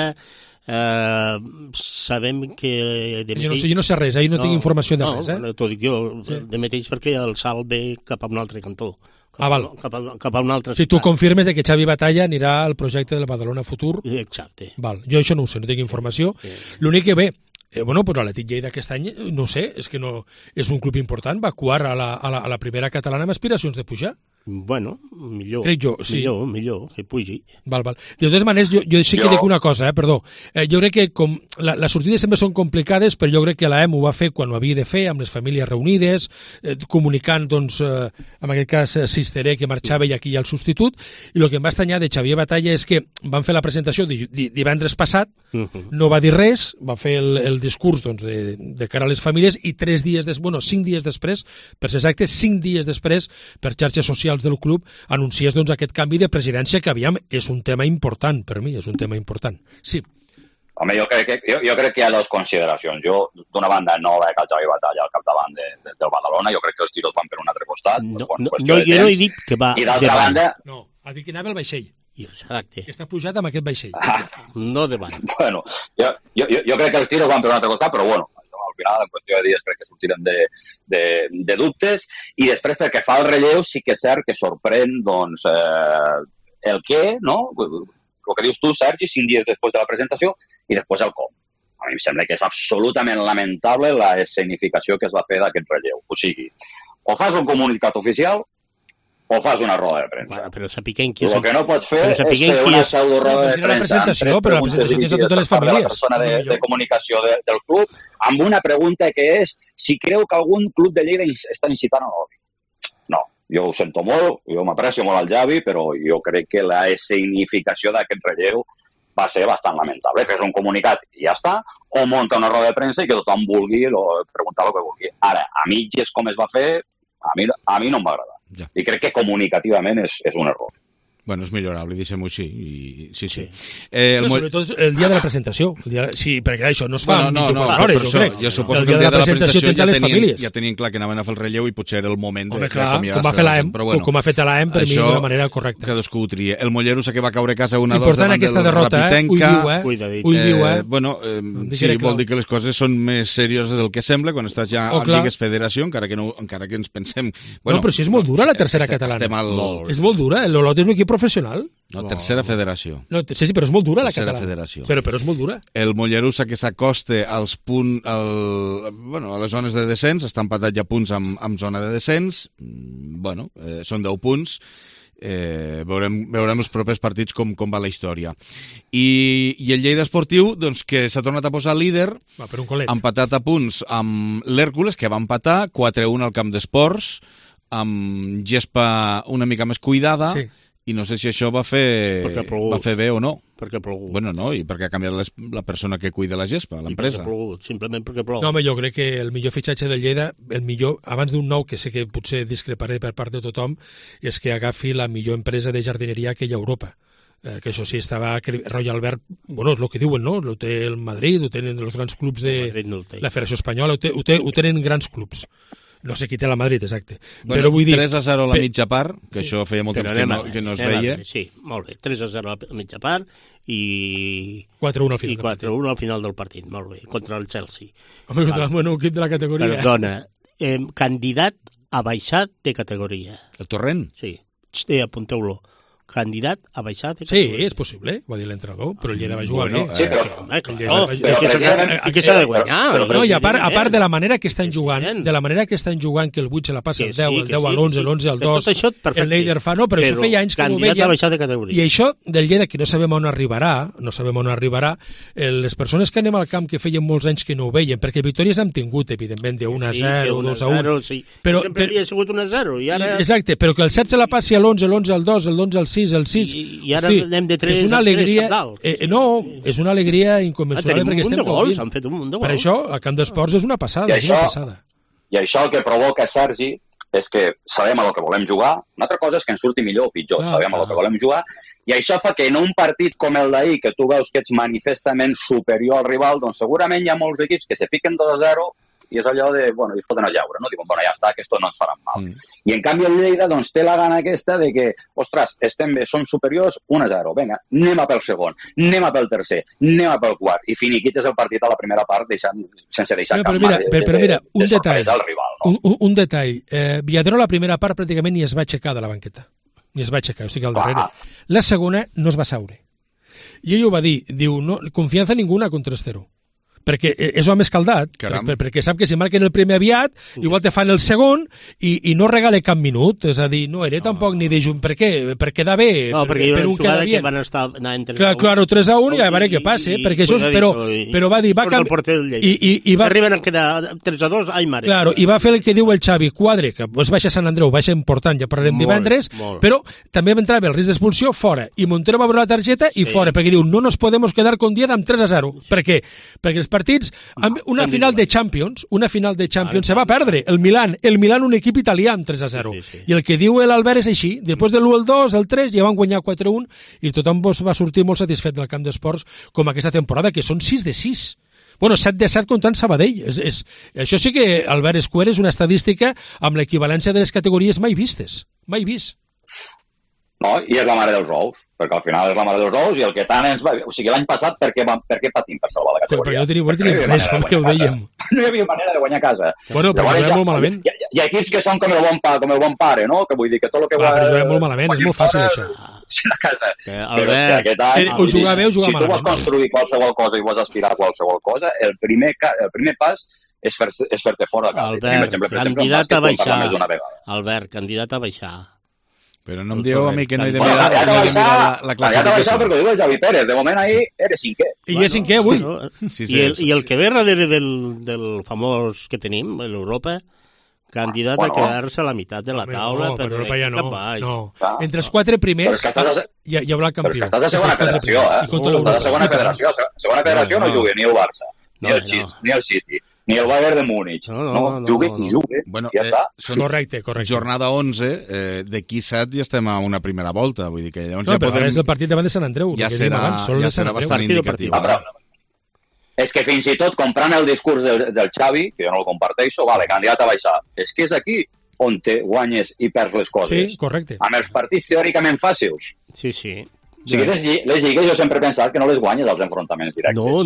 Speaker 11: sabem que...
Speaker 13: Jo no sé res, no tinc informació de res.
Speaker 11: T'ho dic jo, de mateix perquè el salt ve cap a un altre cantó.
Speaker 13: Val.
Speaker 11: Cap a un altre...
Speaker 13: Si tu confirmes que Xavi Batalla anirà al projecte del Badalona Futur...
Speaker 11: Exacte.
Speaker 13: Val. Jo això no ho sé, no tinc informació. L'únic que ve... però l'Atlètic Lleida aquest any, no sé, és que no és un club important, va actuar a la primera catalana amb aspiracions de pujar.
Speaker 11: Millor.
Speaker 13: Crec jo, sí.
Speaker 11: Millor, que pugi.
Speaker 13: Val. De totes maneres, jo sí que dic una cosa, perdó. Jo crec que com les sortides sempre són complicades, però jo crec que l'AEM ho va fer quan ho havia de fer, amb les famílies reunides, comunicant, doncs, en aquest cas, Sisteré, que marxava i aquí hi ha el substitut, i el que em va estranyar de Xavier Batalla és que van fer la presentació divendres passat, no va dir res, va fer el discurs doncs, de cara a les famílies, i 5 dies després, per ser exacte, 5 dies després, per xarxes socials del club, anunciés doncs, aquest canvi de presidència que, aviam, és un tema important per mi, és un tema important. Sí.
Speaker 12: Home, jo crec que hi ha 2 consideracions. Jo, d'una banda, no veig el Xavi Batalla al capdavant del Badalona, jo crec que els tiros van per un altre costat.
Speaker 11: Jo no he dit que va
Speaker 12: de banda...
Speaker 13: No, ha dit que anava al vaixell.
Speaker 11: Exacte.
Speaker 13: Que està pujat amb aquest vaixell.
Speaker 11: No de banda.
Speaker 12: Jo crec que els tiros van per un altre costat, però al final, en qüestió de dies crec que sortirem de dubtes, i després pel que fa al relleu sí que és cert que sorprèn doncs, el què, no? El que dius tu, Sergi, 5 dies després de la presentació, i després el com. A mi em sembla que és absolutament lamentable la escenificació que es va fer d'aquest relleu. O sigui, o fas un comunicat oficial o fas una roda de premsa.
Speaker 11: Bueno, però sapiguem qui és...
Speaker 12: El que no pots fer és fer una pseudo-roda de premsa
Speaker 13: però la presentació tens a totes les famílies.
Speaker 12: La persona de comunicació del club, amb una pregunta que és si creu que algun club de Lleida està incitant a l'odi. No, jo ho sento molt, jo m'aprecio molt al Javi, però jo crec que la escenificació d'aquest relleu va ser bastant lamentable. Fes un comunicat i ja està, o munta una roda de premsa i que tothom vulgui preguntar el que vulgui. Ara, a mitges com es va fer, a mi no em va agradar.
Speaker 1: Ja.
Speaker 12: I crec que comunicativament és un error.
Speaker 1: Bueno, és millorable, deixem-ho així. Sí.
Speaker 13: Sobretot el dia de la presentació. Sí, perquè això no es fa en 24 hores, jo crec.
Speaker 1: Jo suposo que el dia de la presentació ja tenien clar que anaven a fer el relleu i potser era el moment
Speaker 13: d'acomiadar-se. Com va fer l'AEM, com ha fet l'AEM, per mi d'una manera correcta.
Speaker 1: Cadascú ho tria. El Mollerussa que va caure a casa 1-2 davant del
Speaker 13: Rapitenca.
Speaker 1: Ull viu, Bueno, sí, vol dir que les coses són més serioses del que sembla quan estàs ja en Lligues Federació, encara que ens pensem...
Speaker 13: No, però si és molt dura la tercera catalana. És molt dura, l'Olot és un equip professional.
Speaker 1: No, tercera federació.
Speaker 13: No, sí, però és molt dura la catalana.
Speaker 1: Federació.
Speaker 13: Però és molt dura.
Speaker 1: El Mollerussa que s'acosta als punts, a les zones de descens, està empatat ja punts amb zona de descens. Bueno, són 10 punts. Veurem els propers partits com va la història. I el Lleida Esportiu, doncs, que s'ha tornat a posar líder, empatat a punts amb l'Hèrcules, que va empatar 4-1 al camp d'esports, amb gespa una mica més cuidada, i no sé si això va fer bé o no.
Speaker 11: Perquè ha plogut.
Speaker 1: Bueno, no, i perquè ha canviat la persona que cuida la gespa, l'empresa.
Speaker 11: Simplement perquè plou.
Speaker 13: No, home, jo crec que el millor fitxatge del Lleida, el millor, abans d'un nou, que sé que potser discreparé per part de tothom, és que agafi la millor empresa de jardineria que hi ha a Europa. Que això sí, estava Roy Albert, bueno, és el que diuen, no? Ho té el Madrid, ho tenen els grans clubs de la Federació Espanyola, ho tenen grans clubs. No sé qui té la Madrid, exacte.
Speaker 1: Bueno, però vull dir, 3-0 a la mitja part, que això feia molt temps que no es veia.
Speaker 11: Sí, molt bé. 3-0 a la mitja part i
Speaker 13: 4-1 al final.
Speaker 11: I 4-1 al final del partit, molt bé, contra el Chelsea.
Speaker 13: Home, contra el bon equip de la categoria.
Speaker 11: Perdona, candidat a baixar de categoria.
Speaker 1: El Torrent?
Speaker 11: Sí, apunteu-lo. Candidat a baixar de
Speaker 13: Sí,
Speaker 11: categoria.
Speaker 13: és possible, va dir l'entrenador, però el Lleida va jugar bé.
Speaker 12: Sí,
Speaker 11: que s'ha de guanyar.
Speaker 13: No, i a part de la manera que estan jugant, que el 8 se la passa el 10, el 10 a l'11, l'11 al 2, el Leider fa, no, però això feia anys que no ho veiem. I això del Lleida, que no sabem on arribarà, les persones que anem al camp que feien molts anys que no ho veiem, perquè victòries hem tingut, evidentment, de 1-0, 2-1.
Speaker 11: Sempre havia sigut 1-0.
Speaker 13: Exacte, però que el 7 se la passi a l'11, l'11 al 2, l'11 al 6, el 6.
Speaker 11: I ara anem de 3
Speaker 13: és una alegria, no, és una alegria inconmensurable perquè estem gaudint.
Speaker 11: Han fet un munt de gols.
Speaker 13: Per això, a Camp d'Esports és una passada.
Speaker 12: I això el que provoca, Sergi, és que sabem a lo que volem jugar. Una altra cosa és que ens surti millor o pitjor. Sabem a lo que volem jugar. I això fa que en un partit com el d'ahir, que tu veus que ets manifestament superior al rival, doncs segurament hi ha molts equips que se fiquen 2-0 i és allò de, bueno, i es foten a jaure, no? Diuen, bueno, ja està, que esto no ens farà mal. I en canvi el Lleida, doncs, té la gana aquesta de que, ostres, estem bé, som superiors 1-0, vinga, anem a pel segon, anem a pel tercer, anem a pel quart, i finiquites el partit a la primera part sense deixar cap marge de sorpresa al rival, no?
Speaker 13: Un detall, Viadero la primera part pràcticament ni es va aixecar de la banqueta, ni es va aixecar, estic al darrere. La segona no es va seure. I ell ho va dir, diu, no, confiança ninguna contra 3-0. Perquè és home escaldat, perquè sap que si marquen el primer aviat, igual te fan el segon i no regala cap minut, és a dir, no era tampoc ni de junt, per què? Per quedar bé,
Speaker 11: per un quedar bé. Van estar anant 3-1.
Speaker 13: Claro, 3-1 i a veure què passa, perquè això, però va dir, va
Speaker 11: arriben a quedar 3-2, ai mare.
Speaker 13: Claro, i va fer el que diu el Xavi, quadre, que es baixa Sant Andreu, baixa important, ja parlarem divendres, però també entrava el risc d'expulsió fora, i Montero va veure la targeta i fora, perquè diu, no nos podemos quedar con 10 amb 3-0. Per què? Perquè els partits, una final de Champions se va perdre, el Milan un equip italià amb 3-0, i el que diu l'Albert és així, després de l'1 al 2, el 3 ja van guanyar 4-1 i tothom va sortir molt satisfet del camp d'esports com aquesta temporada, que són 6 de 6. Bueno, 7 de 7 comptant Sabadell. Això sí que, Albert Escuer, és una estadística amb l'equivalència de les categories mai vistes. Mai vist.
Speaker 12: No, i és la mare dels ous, perquè al final és la mare dels ous i el que tant ens va... O sigui, l'any passat per què patim per salvar la categoria?
Speaker 13: Però no tenim res, com ja ho dèiem.
Speaker 12: No hi havia manera de guanyar a casa.
Speaker 13: Bueno, però juguem molt malament.
Speaker 12: Hi ha equips que són com el bon pare, no? Que vull dir que tot el que...
Speaker 13: Però juguem molt malament, és molt fàcil això.
Speaker 12: A casa. Però és que aquest any...
Speaker 13: O jugar bé o jugar malament.
Speaker 12: Si tu vols construir qualsevol cosa i vols aspirar a qualsevol cosa, el primer pas és fer-te fora de casa.
Speaker 11: Albert, candidat a baixar. Albert, candidat a baixar.
Speaker 1: Però no em dieu a mi que no he de mirar la classificació.
Speaker 12: Ja t'ha baixat perquè ho diu el Javi Pérez. De moment ahí eres cinquè.
Speaker 13: I és cinquè avui.
Speaker 11: I el que ve darrere del famós que tenim, l'Europa, candidat a quedar-se a la meitat de la taula.
Speaker 13: No, però Europa ja no. Entre els 4 primers hi haurà el campió.
Speaker 12: Però estàs a segona federació, Estàs a segona federació. Segona federació no juga ni el Barça, ni el City, ni el Bayern de Múnich. No, juga qui juga.
Speaker 1: Bueno,
Speaker 12: ja està.
Speaker 13: Correcte.
Speaker 1: Jornada 11, d'aquí 7 ja estem a una primera volta. Vull dir que llavors
Speaker 13: ja podem... és el partit davant de Sant Andreu.
Speaker 1: Ja serà bastant indicatiu.
Speaker 12: És que fins i tot comprant el discurs del Xavi, que jo no el comparteixo, vale, candidat a baixar. És que és aquí on te guanyes i perds les coses.
Speaker 13: Sí, correcte.
Speaker 12: Amb els partits teòricament fàcils.
Speaker 11: Sí.
Speaker 12: O sigui, les lligues jo sempre he pensat que no les guanyes als enfrontaments directes.
Speaker 11: No.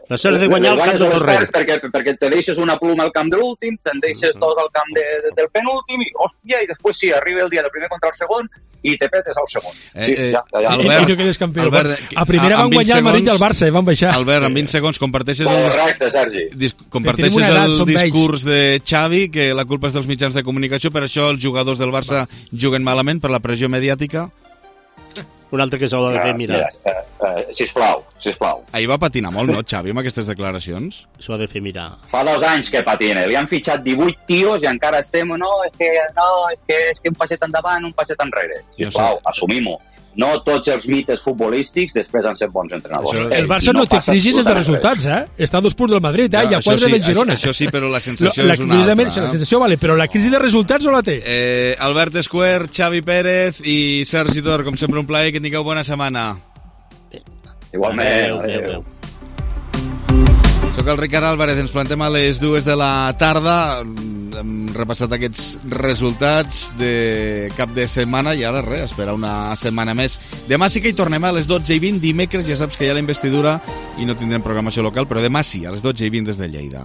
Speaker 11: Les has de guanyar al camp de Torrent.
Speaker 12: Perquè te deixes una pluma al camp de l'últim, te'n deixes dos al camp del penúltim, i hòstia, i després sí, arriba el dia del primer contra el segon, i te petes al segon.
Speaker 1: Albert,
Speaker 13: a primera van guanyar el Madrid i el Barça, van baixar.
Speaker 1: Albert, en 20 segons comparteixes
Speaker 12: Correcte,
Speaker 1: el discurs de Xavi, que la culpa és dels mitjans de comunicació, per això els jugadors del Barça juguen malament per la pressió mediàtica.
Speaker 11: Un altre que s'ho ha de fer mirar.
Speaker 12: Sisplau.
Speaker 1: Ahir va patinar molt, no, Xavi, amb aquestes declaracions?
Speaker 11: S'ho ha de fer mirar.
Speaker 12: Fa 2 anys que patina. Li han fitxat 18 tios i encara estem... és que un passet endavant, un passet enrere. Sisplau, assumim-ho. No tots els mites futbolístics després han set bons entrenadors.
Speaker 13: El Barça no té crisis de resultats, Està a 2 punts del Madrid, i a 4 del Girona.
Speaker 1: Això sí, però la sensació és una altra.
Speaker 13: La sensació vale, però la crisi de resultats no la té.
Speaker 1: Albert Esquer, Xavi Pérez i Sergi Tor, com sempre un plaer, que tingueu bona setmana.
Speaker 12: Igualment.
Speaker 11: Adéu.
Speaker 1: Soc el Ricard Álvarez, ens plantem a les 2 de la tarda. Hem repassat aquests resultats de cap de setmana i ara res, esperar una setmana més. Demà sí que hi tornem a les 12:20, dimecres ja saps que hi ha la investidura i no tindrem programació local, però demà sí, a les 12:20 des de Lleida.